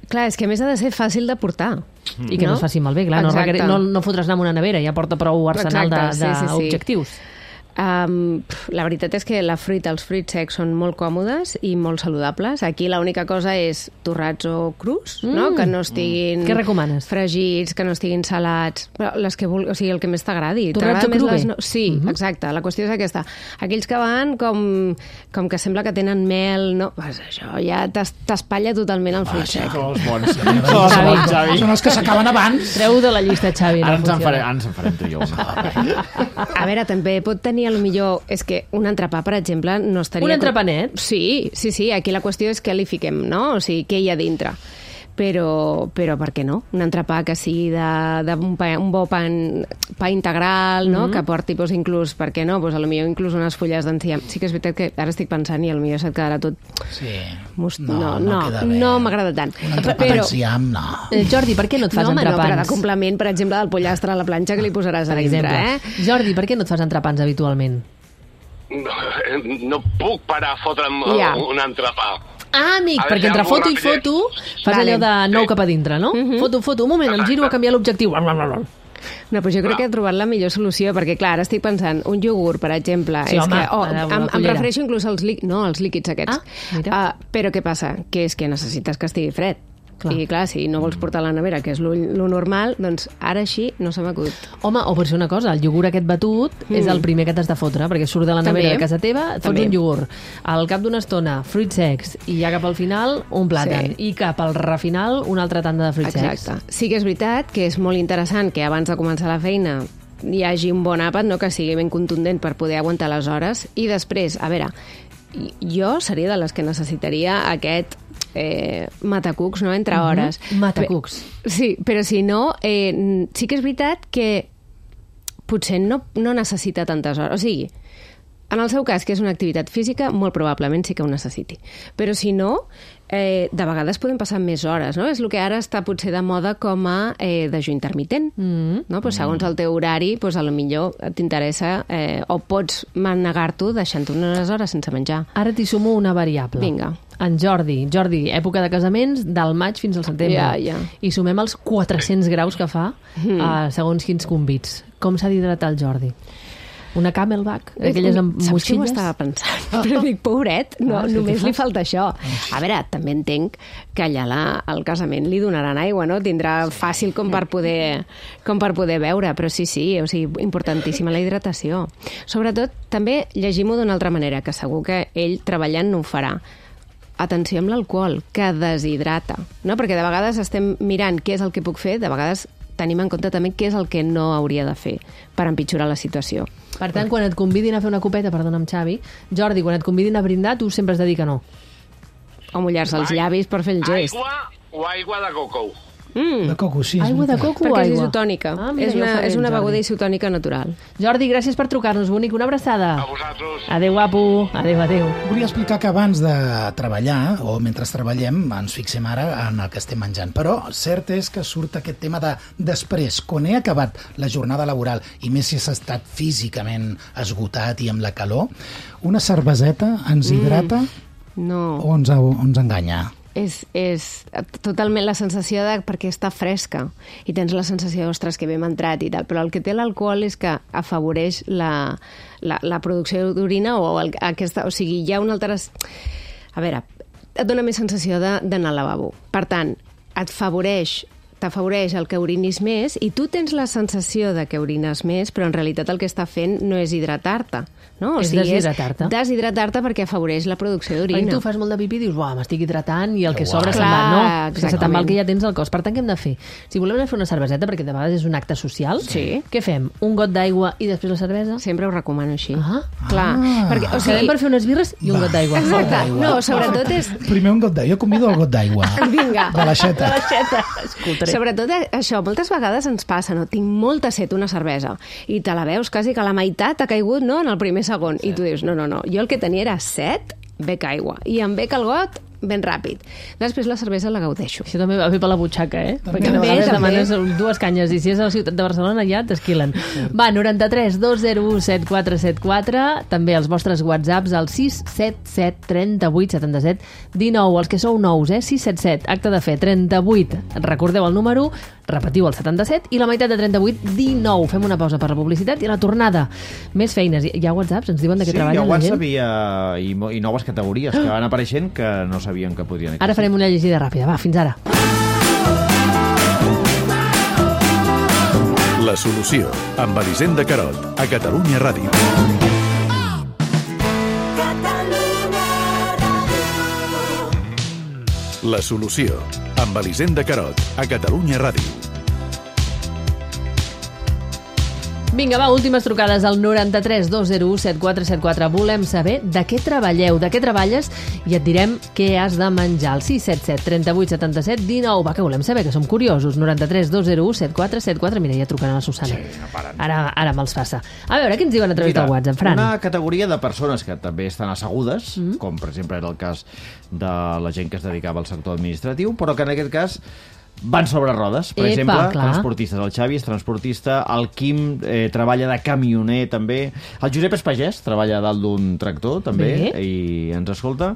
Clar, és que a més ha de ser fàcil de portar. Mm. I que no, no es faci malbé, clar. No, requer... no, no fotràs anar amb una nevera, ja porta prou arsenal d'objectius. Sí, sí, sí. Um, la veritat és que la fruita, els fruits secs són molt còmodes i molt saludables. Aquí l'única cosa és torrats o crus, mm. no? Que no estiguin... Què recomanes? Fregits, que no estiguin salats, però les que vulguis, o sigui, el que més t'agradi. Torrats o cru bé? No... Sí, mm -hmm. exacte. La qüestió és aquesta. Aquells que van com, com que sembla que tenen mel, no? Pues això ja t'espatlla totalment el fruit sec. Són els bons. Són els bons, Xavi. Són els que s'acaben abans. Treu de la llista, Xavi. Ara no ens en funciona. farem, ens en farem tu i jo. A veure, també pot tenir, a lo millor, és que un entrepà, per exemple, no estaria... Un entrepanet? Sí, sí, sí. Aquí la qüestió és què li fiquem, no? O sigui, què hi ha dintre. Però, però per què no? Un entrepà que sigui d'un pa, un bo pa, pa integral, no? Mm -hmm. Que porti, doncs, inclús, per què no? Doncs, a lo millor inclús unes fulles d'enciam. Sí que és veritat que ara estic pensant i a lo millor se't quedarà tot... Sí. Most... No, no, no, no, queda bé. no m'agrada tant. Un entrepà però... d'enciam, no. Eh, Jordi, per què no et fas no, home, entrepans? No, però de complement, per exemple, del pollastre a la planxa que li posaràs Per a dintre, exemple. eh? Jordi, per què no et fas entrepans habitualment? No, no puc parar a fotre'm Ja. un entrepà. Ah, amic, Ha de perquè ser entre algú foto i rapidez. foto fas Vale. allò de nou Sí. cap a dintre, no? Mhm. Foto, foto, un moment, em giro a canviar l'objectiu. No, però jo crec que he trobat la millor solució, perquè, clar, ara estic pensant, un iogurt, per exemple, Sí, és home, que... Oh, ara, una em, em cullera. refereixo inclús als, líquids, no, als líquids aquests. Ah, mira. Uh, però què passa? Que és que necessites que estigui fred. Clar. I, clar, si no vols portar a la nevera, que és lo, lo normal, doncs ara així no se m'acut. Home, o per ser una cosa, el iogurt aquest batut mm. és el primer que t'has de fotre, perquè surt de la nevera També. de casa teva, et fots També. un iogurt. Al cap d'una estona, fruits secs, i ja cap al final, un plàtan. Sí. I cap al refinal, una altra tanda de fruits secs. Exacte. Sí que és veritat que és molt interessant que abans de començar la feina hi hagi un bon àpat, no? Que sigui ben contundent per poder aguantar les hores. I després, a veure, jo seria de les que necessitaria aquest eh, matacucs, no?, entre hores. Uh -huh. Matacucs. Pe- sí, però si no, eh, sí que és veritat que potser no, no necessita tantes hores. O sigui, en el seu cas, que és una activitat física, molt probablement sí que ho necessiti. Però si no, eh, de vegades podem passar més hores, no? És el que ara està potser de moda com a eh, dejú intermitent. Mm. No? Pues segons el teu horari, pues a lo millor t'interessa eh, o pots manegar-t'ho deixant unes hores sense menjar. Ara t'hi sumo una variable. Vinga. En Jordi. Jordi, època de casaments, del maig fins al setembre. Ja, ja. I sumem els quatre-cents graus que fa Mm. uh, segons quins convits. Com s'ha d'hidratar el Jordi? Una Camelback? Aquelles amb Saps que ho motxilles? estava pensant? Però dic, pobret, no, Ah, sí, només què li fa? falta això. A veure, també entenc que allà la, al casament li donaran aigua, no? Tindrà fàcil com per poder, com per poder beure, però sí, sí, o sigui, importantíssima la hidratació. Sobretot, també llegim-ho d'una altra manera, que segur que ell treballant no ho farà. Atenció amb l'alcohol, que deshidrata, no? Perquè de vegades estem mirant què és el que puc fer, de vegades tenim en compte també què és el que no hauria de fer per empitjorar la situació. Per tant, quan et convidin a fer una copeta, perdona'm, Xavi, Jordi, quan et convidin a brindar, tu sempre has de dir que no. O mullar-se els llavis per fer el gest. Aigua o aigua de coco. Mm. De coco, sí. és Aigua de veritat. coco o Perquè és aigua? isotònica. Ah, mira, és ja ho una, faré, és una Jordi. beguda isotònica natural. Jordi, gràcies per trucar-nos, bonic. Una abraçada. A vosaltres. Adéu, guapo. Adéu, adéu. Volia explicar que abans de treballar, o mentre treballem, ens fixem ara en el que estem menjant. Però cert és que surt aquest tema de després, quan he acabat la jornada laboral, i més si has estat físicament esgotat i amb la calor, una cerveseta ens hidrata No. o ens, o ens enganya? És, és totalment la sensació de perquè està fresca i tens la sensació, ostres, que bé m'ha entrat i tal, però el que té l'alcohol és que afavoreix la, la, la producció d'orina o el, aquesta, o sigui, hi ha una altra... A veure, et dona més sensació de- d'anar al lavabo. Per tant, et favoreix t'afavoreix el que orinis més i tu tens la sensació de que orines més, però en realitat el que està fent no és hidratar-te, no? O És sigui, deshidratar-te. És deshidratar-te perquè afavoreix la producció Perquè d'orina. tu fas molt de pipí i dius, uah, m'estic hidratant i el que Uau. sobra se'n Clar, va. No, que se te'n va el exactament. que ja tens al cos. Per tant, què hem de fer? Si volem anar a fer una cerveseta, perquè de vegades és un acte social, Sí. què fem? Un got d'aigua i després la cervesa? Sempre ho recomano així. Ah. Clar, Ah. perquè, o O sigui, sigui, per fer unes birres i un Va. got d'aigua. Exacte. d'aigua. No, sobretot és... Primer un got d'aigua. Jo convido el got d'aigua. Vinga. De l'aixeta. Escoltaré. Sobretot això, moltes vegades ens passa, no? Tinc molta set una cervesa i te la veus quasi que la meitat ha caigut, no?, en el primer segon. Sí. I tu dius, no, no, no, jo el que tenia era set, bec aigua. I em bec el got ben ràpid. Després la cervesa la gaudeixo. Això també va bé per la butxaca, eh? També, Perquè de també, vegades també. demanes dues canyes i si és a la ciutat de Barcelona ja t'esquilen. Va, noranta-tres dos zero u set quatre set quatre, també els vostres whatsapps al sis set set trenta-vuit setanta-set dinou, els que sou nous, eh? sis set set, acte de fe, trenta-vuit, recordeu el número, repetiu el setanta-set, i la meitat de trenta-vuit, dinou. Fem una pausa per la publicitat i a la tornada. Més feines. Hi ha WhatsApps? Ens diuen de què sí, treballen la gent? Sí, hi ha WhatsApp i, i, i noves categories que van apareixent que no sabien que podrien existir. Ara farem una llegida ràpida. Va, fins ara. La solució, amb Elisenda Carot, a Catalunya Ràdio. La solució, amb Elisenda Carot, a Catalunya Ràdio. Vinga, va, últimes trucades al noranta-tres dos zero u set quatre set quatre. Volem saber de què treballeu, de què treballes i et direm què has de menjar. El sis set set, trenta-vuit, setanta-set, dinou. Va, que volem saber, que som curiosos. noranta-tres dos zero u set quatre set quatre. Mira, ja truquen a la Susana. Sí, no paren. Ara, ara me'ls passa. A veure, què ens diuen a través Mira, del WhatsApp, Fran? Una categoria de persones que també estan assegudes, mm. com per exemple era el cas de la gent que es dedicava al sector administratiu, però que en aquest cas van sobre rodes. Per Epa, exemple, clar. transportistes. El Xavi és transportista, el Quim eh, treballa de camioner també, el Josep és pagès, treballa a dalt d'un tractor també, Bé. i ens escolta,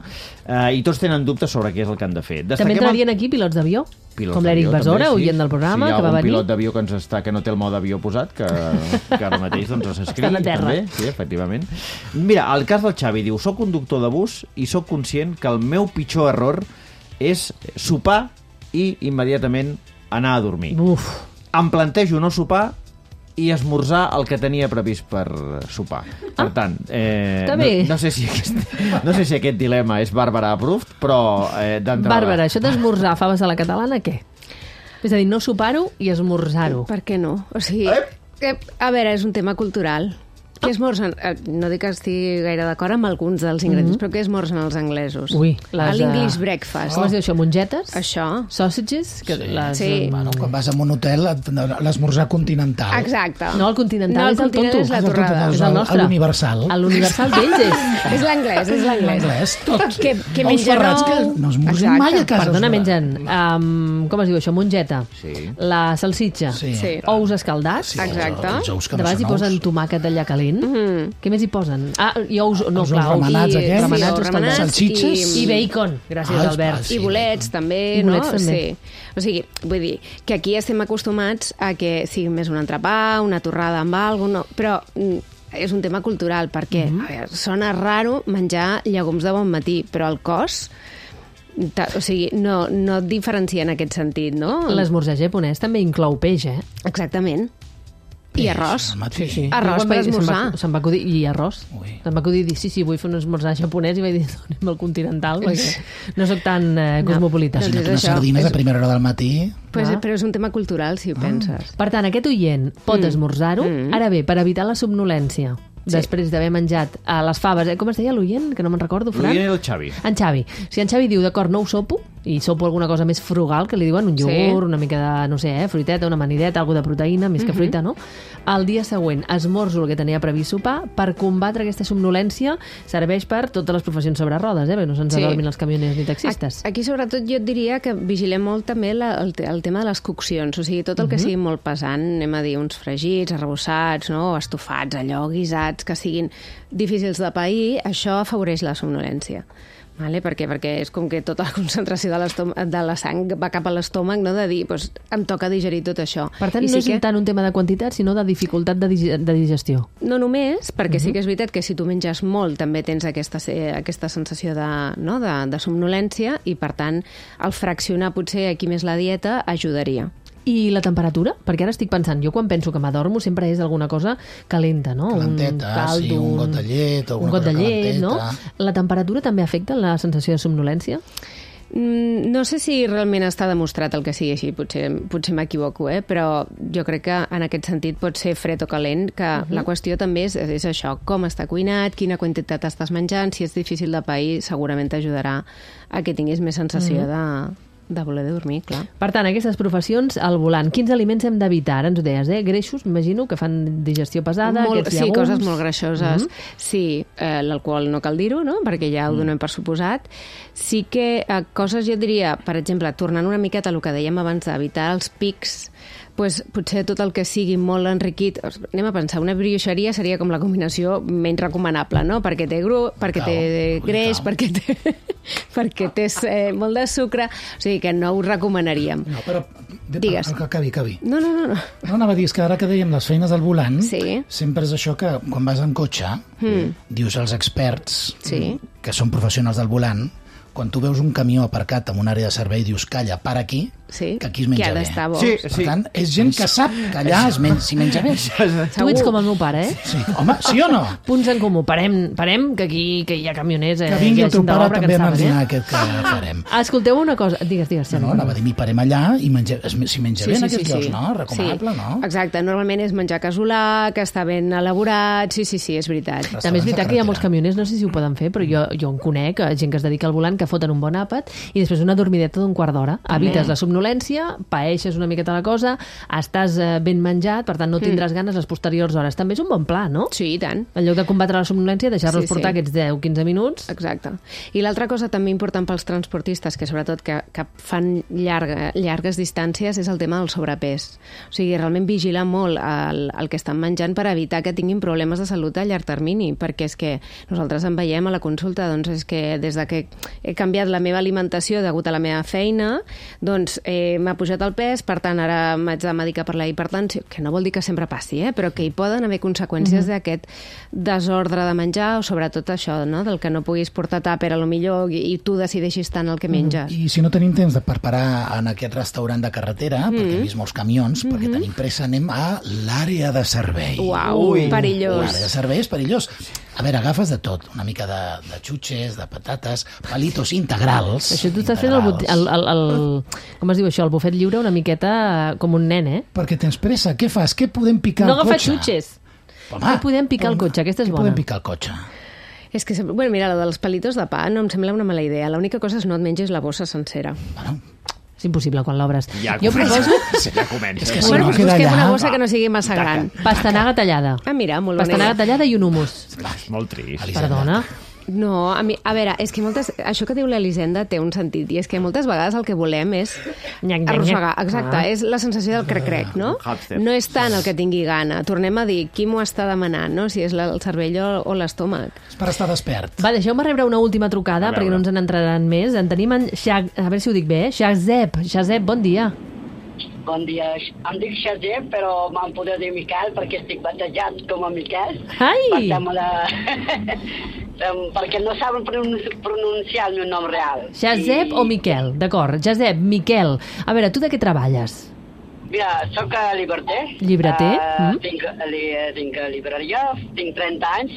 eh, i tots tenen dubtes sobre què és el que han de fer. També Destaquem entrarien aquí pilots d'avió? Pilots Com l'Eric d'avió, Besora, també, sí. oient del programa, si que va venir. Si hi ha algun pilot d'avió que ens està, que no té el mode avió posat, que, que ara mateix doncs, s'escriu Estan a terra. també, sí, efectivament. Mira, el cas del Xavi diu: soc conductor de bus i sóc conscient que el meu pitjor error és sopar i immediatament anar a dormir. Uf. Em plantejo no sopar i esmorzar el que tenia previst per sopar. Per tant, eh, Està no, bé. no, sé si aquest, no sé si aquest dilema és Bàrbara approved, però eh, d'entrada... Bàrbara, això d'esmorzar faves a la catalana, què? És a dir, no sopar-ho i esmorzar-ho. Per què no? O sigui, que, a veure, és un tema cultural. Què esmorzen? Eh, No dic que estigui gaire d'acord amb alguns dels ingredients, Mhm. però què esmorzen els anglesos? Ui, les, L'English eh, breakfast. Com es diu això? Mongetes? Això. Sausages? Que Sí. les, Sí. Bueno, quan vas a un hotel, l'esmorzar continental. Exacte. No, el continental No, el és el continent tonto. és la És el torrada. tonto, És el nostre. l'universal. A l'universal d'ells és... És l'anglès, és l'anglès. L'anglès, tot. Que, que Els menja ferrats nou. que no esmorzin Exacte. mai a casa. Perdona, els mengen, um, com es diu això, mongeta, Sí. la salsitxa, Sí. Sí. ous escaldats, Sí, Exacte. Els ous que de no vegades hi són posen ous. tomàquet d'allà calent. Mm. Què més hi posen? Ah, i ous, no, Els clar, ous remenats i, aquests. remenats, Sí, escaldats. remenats Salsitxes. I bacon, gràcies, Ah, Albert. sí. I bolets també, I bolets no? també. Sí. O sigui, vull dir, que aquí estem acostumats a que sigui més un entrepà, una torrada amb alguna cosa, no, però mm, és un tema cultural, perquè Mhm. a veure, sona raro menjar llegums de bon matí, però el cos, ta- o sigui, no, no et diferencia en aquest sentit, no? L'esmorzar japonès també inclou peix, eh? Exactament. I arròs. Al matí. Arròs Jo quan per vaig- se'm va- esmorzar. Se'm va acudir, i arròs. Ui. Se'm va acudir dir, sí, sí, vull fer un esmorzar japonès, i vaig dir, donem el continental, perquè no sóc tan eh, No, cosmopolita. doncs Si no, és unes això. sardines És- a primera hora del matí... Pues, Ah. Però és un tema cultural, si ho penses. Per tant, aquest oient pot Mm. esmorzar-ho. Mm. Ara bé, per evitar la somnolència, Sí. després d'haver menjat a les faves, eh? Com es deia l'oient? Que no me'n recordo, Fran. L'oient era el Xavi. En Xavi. Si en Xavi diu, d'acord, no ho sopo, i sopo alguna cosa més frugal, que li diuen un iogurt, Sí. una mica de, no sé, eh, fruiteta, una amanideta, alguna de proteïna, més que Mhm. fruita, no? El dia següent esmorzo el que tenia previst sopar. Per combatre aquesta somnolència serveix per totes les professions sobre rodes, eh? Perquè no se'ns Sí. adormin els camioners ni taxistes. Aquí, sobretot, jo et diria que vigilem molt també la, el, te- el tema de les coccions. O sigui, tot el que Mhm. sigui molt pesant, anem a dir uns fregits, arrebossats, no? estofats, allò, guisats, que siguin difícils de pair, això afavoreix la somnolència. Vale? Per què? Perquè és com que tota la concentració de, l'estom- de la sang va cap a l'estómac, no? De dir, doncs, em toca digerir tot això. Per tant, I no sí és que... tant un tema de quantitat, sinó de dificultat de, dig de digestió. No només, perquè Mhm. sí que és veritat que si tu menges molt també tens aquesta, eh, aquesta sensació de, no? de, de somnolència i, per tant, el fraccionar potser aquí més la dieta ajudaria. I la temperatura? Perquè ara estic pensant, jo quan penso que m'adormo sempre és alguna cosa calenta, no? Calenteta, un caldo, sí, un got de llet, un alguna got de cosa llet, no? calenteta. La temperatura també afecta la sensació de somnolència? Mm, no sé si realment està demostrat el que sigui així, potser, potser m'equivoco, eh? Però jo crec que en aquest sentit pot ser fred o calent, que uh -huh. la qüestió també és, és això, com està cuinat, quina quantitat estàs menjant, si és difícil de pair, segurament t'ajudarà a que tinguis més sensació uh -huh. de, de voler dormir, clar. Per tant, aquestes professions al volant, quins aliments hem d'evitar? Ara ens ho deies, eh? Greixos, m'imagino, que fan digestió pesada, Molt, aquests sí, llegums... coses molt greixoses. Mhm. Sí, eh, l'alcohol no cal dir-ho, no? Perquè ja ho donem per suposat. Sí que eh, coses, jo diria, per exemple, tornant una miqueta al que dèiem abans d'evitar els pics, pues, potser tot el que sigui molt enriquit... Anem a pensar, una brioixeria seria com la combinació menys recomanable, no? Perquè té gru, perquè Cau, té ui, greix, cau. perquè té, perquè té eh, molt de sucre, o sigui que no ho recomanaríem. No, però Digues. Que acabi, acabi. No, no, no. no. No, anava a dir, és que ara que dèiem les feines al volant, sí. sempre és això que quan vas en cotxe, mm. dius als experts, sí. que són professionals del volant, quan tu veus un camió aparcat en una àrea de servei, dius, calla, para aquí, sí. que aquí es menja que ha bé. d'estar bo. Sí, per sí. tant, és gent que sap que allà es men s'hi menja bé. Tu ets com el meu pare, eh? Sí. Home, sí o no? Punts en comú. Parem, parem que aquí que hi ha camioners. Eh, Que vingui el teu pare també a saben, marginar eh? aquest que farem. Escolteu una cosa. Digues, digues. No, no, anava a dir, mi parem allà i menja, s'hi menja Sí, bé en sí, aquests sí, llocs, sí. no? Recomanable, sí. no? Exacte, normalment és menjar casolà, que està ben elaborat, sí, sí, sí, és veritat. També és veritat que hi ha molts camioners, no sé si ho poden fer, però jo, jo en conec, gent que es dedica al volant, que foten un bon àpat i després una dormideta d'un quart d'hora. Evites la somnolència, paeixes una miqueta la cosa, estàs eh, ben menjat, per tant no tindràs mm. ganes les posteriors hores. També és un bon pla, no? Sí, i tant. En lloc de combatre la somnolència, deixar-los Sí, sí. portar aquests deu a quinze minuts. Exacte. I l'altra cosa també important pels transportistes, que sobretot que, que fan llarga, llargues distàncies, és el tema del sobrepès. O sigui, realment vigilar molt el, el que estan menjant per evitar que tinguin problemes de salut a llarg termini, perquè és que nosaltres en veiem a la consulta, doncs és que des de que he canviat la meva alimentació degut a la meva feina, doncs eh, m'ha pujat el pes, per tant ara m'haig de medicar per la hipertensió, que no vol dir que sempre passi, eh? Però que hi poden haver conseqüències mm-hmm. d'aquest desordre de menjar, o sobretot això, no? Del que no puguis portar tàper a lo millor i, i tu decideixis tant el que menges. I si no tenim temps de per parar en aquest restaurant de carretera, mm. perquè he vist molts camions, mm-hmm. perquè tenim pressa, anem a l'àrea de servei. Uau, Ui. perillós. L'àrea de servei és perillós. A veure, agafes de tot, una mica de, de xutxes, de patates, palitos integrals. Això tu estàs fent el, el, el, el, com es diu això, el bufet lliure una miqueta com un nen, eh? Perquè tens pressa, què fas? Què podem picar no al cotxe? No agafar xutxes. Home, què podem picar al cotxe? Aquesta és què bona. podem picar al cotxe? És que, bueno, mira, lo dels palitos de pa no em sembla una mala idea. L'única cosa és no et menges la bossa sencera. Bueno, és impossible quan l'obres. Ja jo proposo... Sí, ja comença. És que si bueno, no pues queda busquem allà... una bossa que no sigui massa gran. Pastanaga tallada. Ah, mira, molt bona Pastanaga idea. tallada i un humus. És molt trist. Perdona. No, a, mi, a veure, és que moltes, això que diu l'Elisenda té un sentit, i és que moltes vegades el que volem és Nyac, nyac, arrossegar. nyac. Exacte, Ah. és la sensació del crec-crec, no? Hàmster. No és tant el que tingui gana. Tornem a dir, qui m'ho està demanant, no? Si és la, el cervell o, o l'estómac. És per estar despert. Va, deixeu-me rebre una última trucada, perquè no ens en entraran més. En tenim en Shag... A veure si ho dic bé, eh? Shazep. Shazep, bon dia. Bon dia. Em dic Shazep, però m'han poder dir Miquel perquè estic batejat com a Miquel. Ai! Per tant, la... perquè no saben pronunciar el meu nom real. Shazep I... o Miquel? D'acord. Shazep, Miquel. A veure, tu de què treballes? Mira, soc llibreter. Llibreter? Uh, mm. tinc, li, tinc llibreria, tinc trenta anys,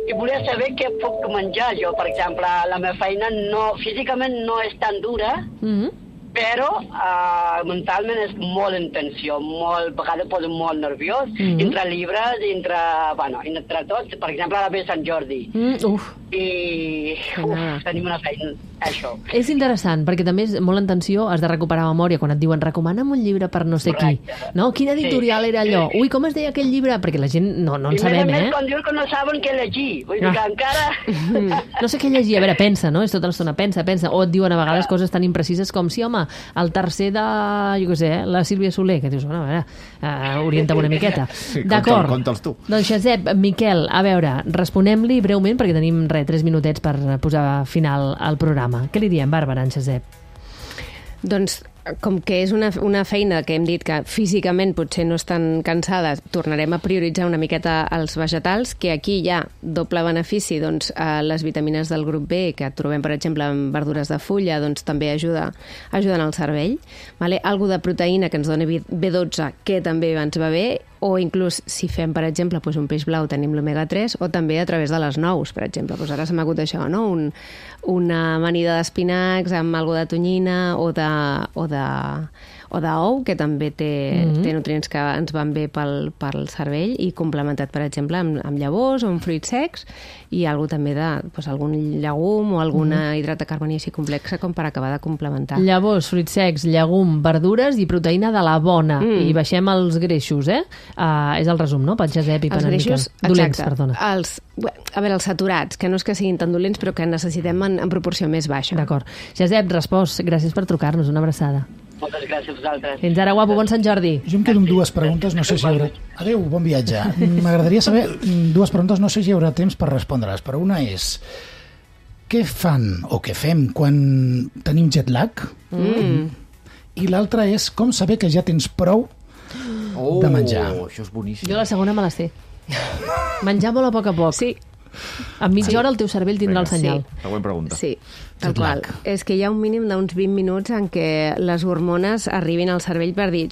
i volia saber què puc menjar jo. Per exemple, la meva feina no, físicament no és tan dura, Mm. però uh, mentalment és molt en tensió, molt, a vegades poso molt nerviós, Mm. entre llibres, entre, bueno, entre tots, per exemple, ara ve Sant Jordi, Mm, uf. i uf, tenim una feina, això. És interessant, perquè també és molt en tensió, has de recuperar memòria quan et diuen recomana'm un llibre per no sé Correcte. qui. No? Quin editorial Sí. era allò? Ui, com es deia aquell llibre? Perquè la gent no, no en I sabem, a més, eh? quan diuen que no saben què llegir, vull dir Ah. que encara... No sé què llegir. A veure, pensa, no? És tota l'estona, pensa, pensa. O et diuen a vegades coses tan imprecises com si, home, el tercer de, jo què sé, eh, la Sílvia Soler, que dius, bueno, a veure, uh, orienta una miqueta. Sí, D'acord. conta'l- conta'ls tu. Doncs Shazep, Miquel, a veure, responem-li breument, perquè tenim, res, tres minutets per posar final al programa. Què li diem, Bàrbara, en Shazep? Doncs, com que és una, una feina que hem dit que físicament potser no estan cansades, tornarem a prioritzar una miqueta els vegetals, que aquí hi ha doble benefici, doncs eh, les vitamines del grup B, que trobem, per exemple, en verdures de fulla, doncs també ajuda, ajuden al cervell. Vale? Algo de proteïna que ens dona B dotze, que també ens va bé, o inclús si fem, per exemple, doncs un peix blau tenim l'omega tres, o també a través de les nous, per exemple. Doncs ara s'ha m'agut això, no? Un, una amanida d'espinacs amb algo de tonyina o de, o de, o d'ou, que també té, Mhm. té nutrients que ens van bé pel, pel cervell, i complementat, per exemple, amb, amb llavors o amb fruits secs, i algo també de doncs, algun llegum o alguna hidrat de carboni així complexa com per acabar de complementar. Llavors, fruits secs, llegum, verdures i proteïna de la bona. Mm. I baixem els greixos, eh? Uh, és el resum, no? Pel Josep i per Els en Miquel. greixos, Dolents, exacte. perdona. Els, a veure, els saturats, que no és que siguin tan dolents, però que necessitem en, en proporció més baixa. D'acord. Josep, respost. Gràcies per trucar-nos. Una abraçada. Moltes gràcies a vosaltres. Fins ara, guapo. Bon Sant Jordi. Jo em quedo amb dues preguntes, no sé si hi haurà... Adéu, bon viatge. M'agradaria saber dues preguntes, no sé si hi haurà temps per respondre-les, però una és... Què fan o què fem quan tenim jet lag? Mm. i l'altra és com saber que ja tens prou oh, de menjar. Això és boníssim. Jo la segona me la sé. Menjar molt a poc a poc. Sí. A mitja sí. hora el teu cervell tindrà Vinga, el senyal. Sí. Següent pregunta. Sí, tal qual. És que hi ha un mínim d'uns vint minuts en què les hormones arribin al cervell per dir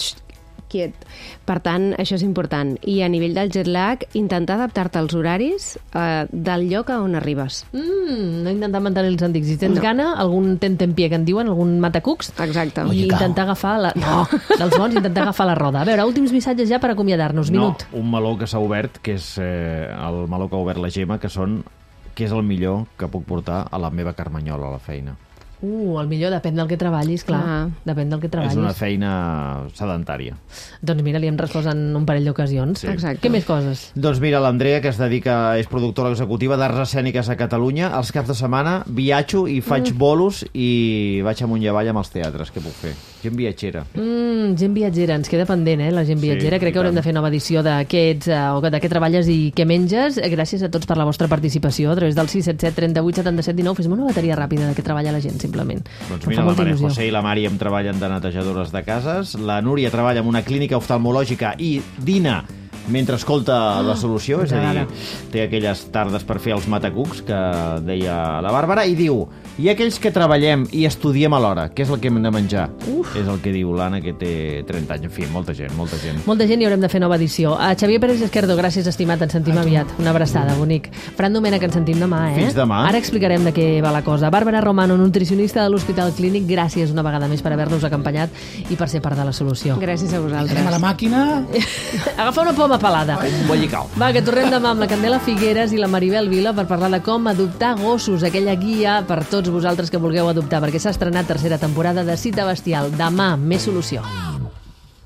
quiet. Per tant, això és important. I a nivell del jet lag, intentar adaptar-te als horaris eh, del lloc a on arribes. Mm, no intentar mantenir els antics. Si tens no. gana, algun tentempié que en diuen, algun matacucs. Exacte. I Oye, intentar agafar la... No, dels bons, intentar agafar la roda. A veure, últims missatges ja per acomiadar-nos. Minut. No, un meló que s'ha obert, que és eh, el meló que ha obert la Gemma, que són què és el millor que puc portar a la meva carmanyola a la feina. Uh, el millor depèn del que treballis, clar. Ah. Depèn del que treballis. És una feina sedentària. Doncs mira, li hem respost en un parell d'ocasions. Sí. Exacte. Què més coses? Doncs mira, l'Andrea, que es dedica, és productora executiva d'arts escèniques a Catalunya, els caps de setmana viatjo i faig mm. bolos i vaig amunt i avall amb els teatres. Què puc fer? Gent viatgera. Mm, gent viatgera, ens queda pendent, eh, la gent viatgera. Sí, crec que haurem de fer nova edició d'aquests, uh, o de què treballes i què menges. Gràcies a tots per la vostra participació a través del sis set set, trenta-vuit, setanta-set, dinou. Fes-me una bateria ràpida de què treballa la gent, simplement. Doncs mira, la Maria José i la Mari em treballen de netejadores de cases, la Núria treballa en una clínica oftalmològica i dina mentre escolta La Solució, és a dir, té aquelles tardes per fer els matacucs que deia la Bàrbara, i diu, i aquells que treballem i estudiem alhora, què és el que hem de menjar? Uf. És el que diu l'Anna, que té trenta anys. En fi, molta gent, molta gent. Molta gent i haurem de fer nova edició. A Xavier Pérez Esquerdo, gràcies, estimat, ens sentim aviat. Una abraçada, bonic. Fran Domènech, ens sentim demà, eh? Fins demà. Ara explicarem de què va la cosa. Bàrbara Romano, nutricionista de l'Hospital Clínic, gràcies una vegada més per haver-nos acompanyat i per ser part de la solució. Gràcies a vosaltres. Anem a la màquina. Agafa una poma pelada. Un bollicau. Va, que tornem demà amb la Candela Figueres i la Maribel Vila per parlar de com adoptar gossos, aquella guia per tots vosaltres que vulgueu adoptar, perquè s'ha estrenat tercera temporada de Cita Bestial. Demà, més solució.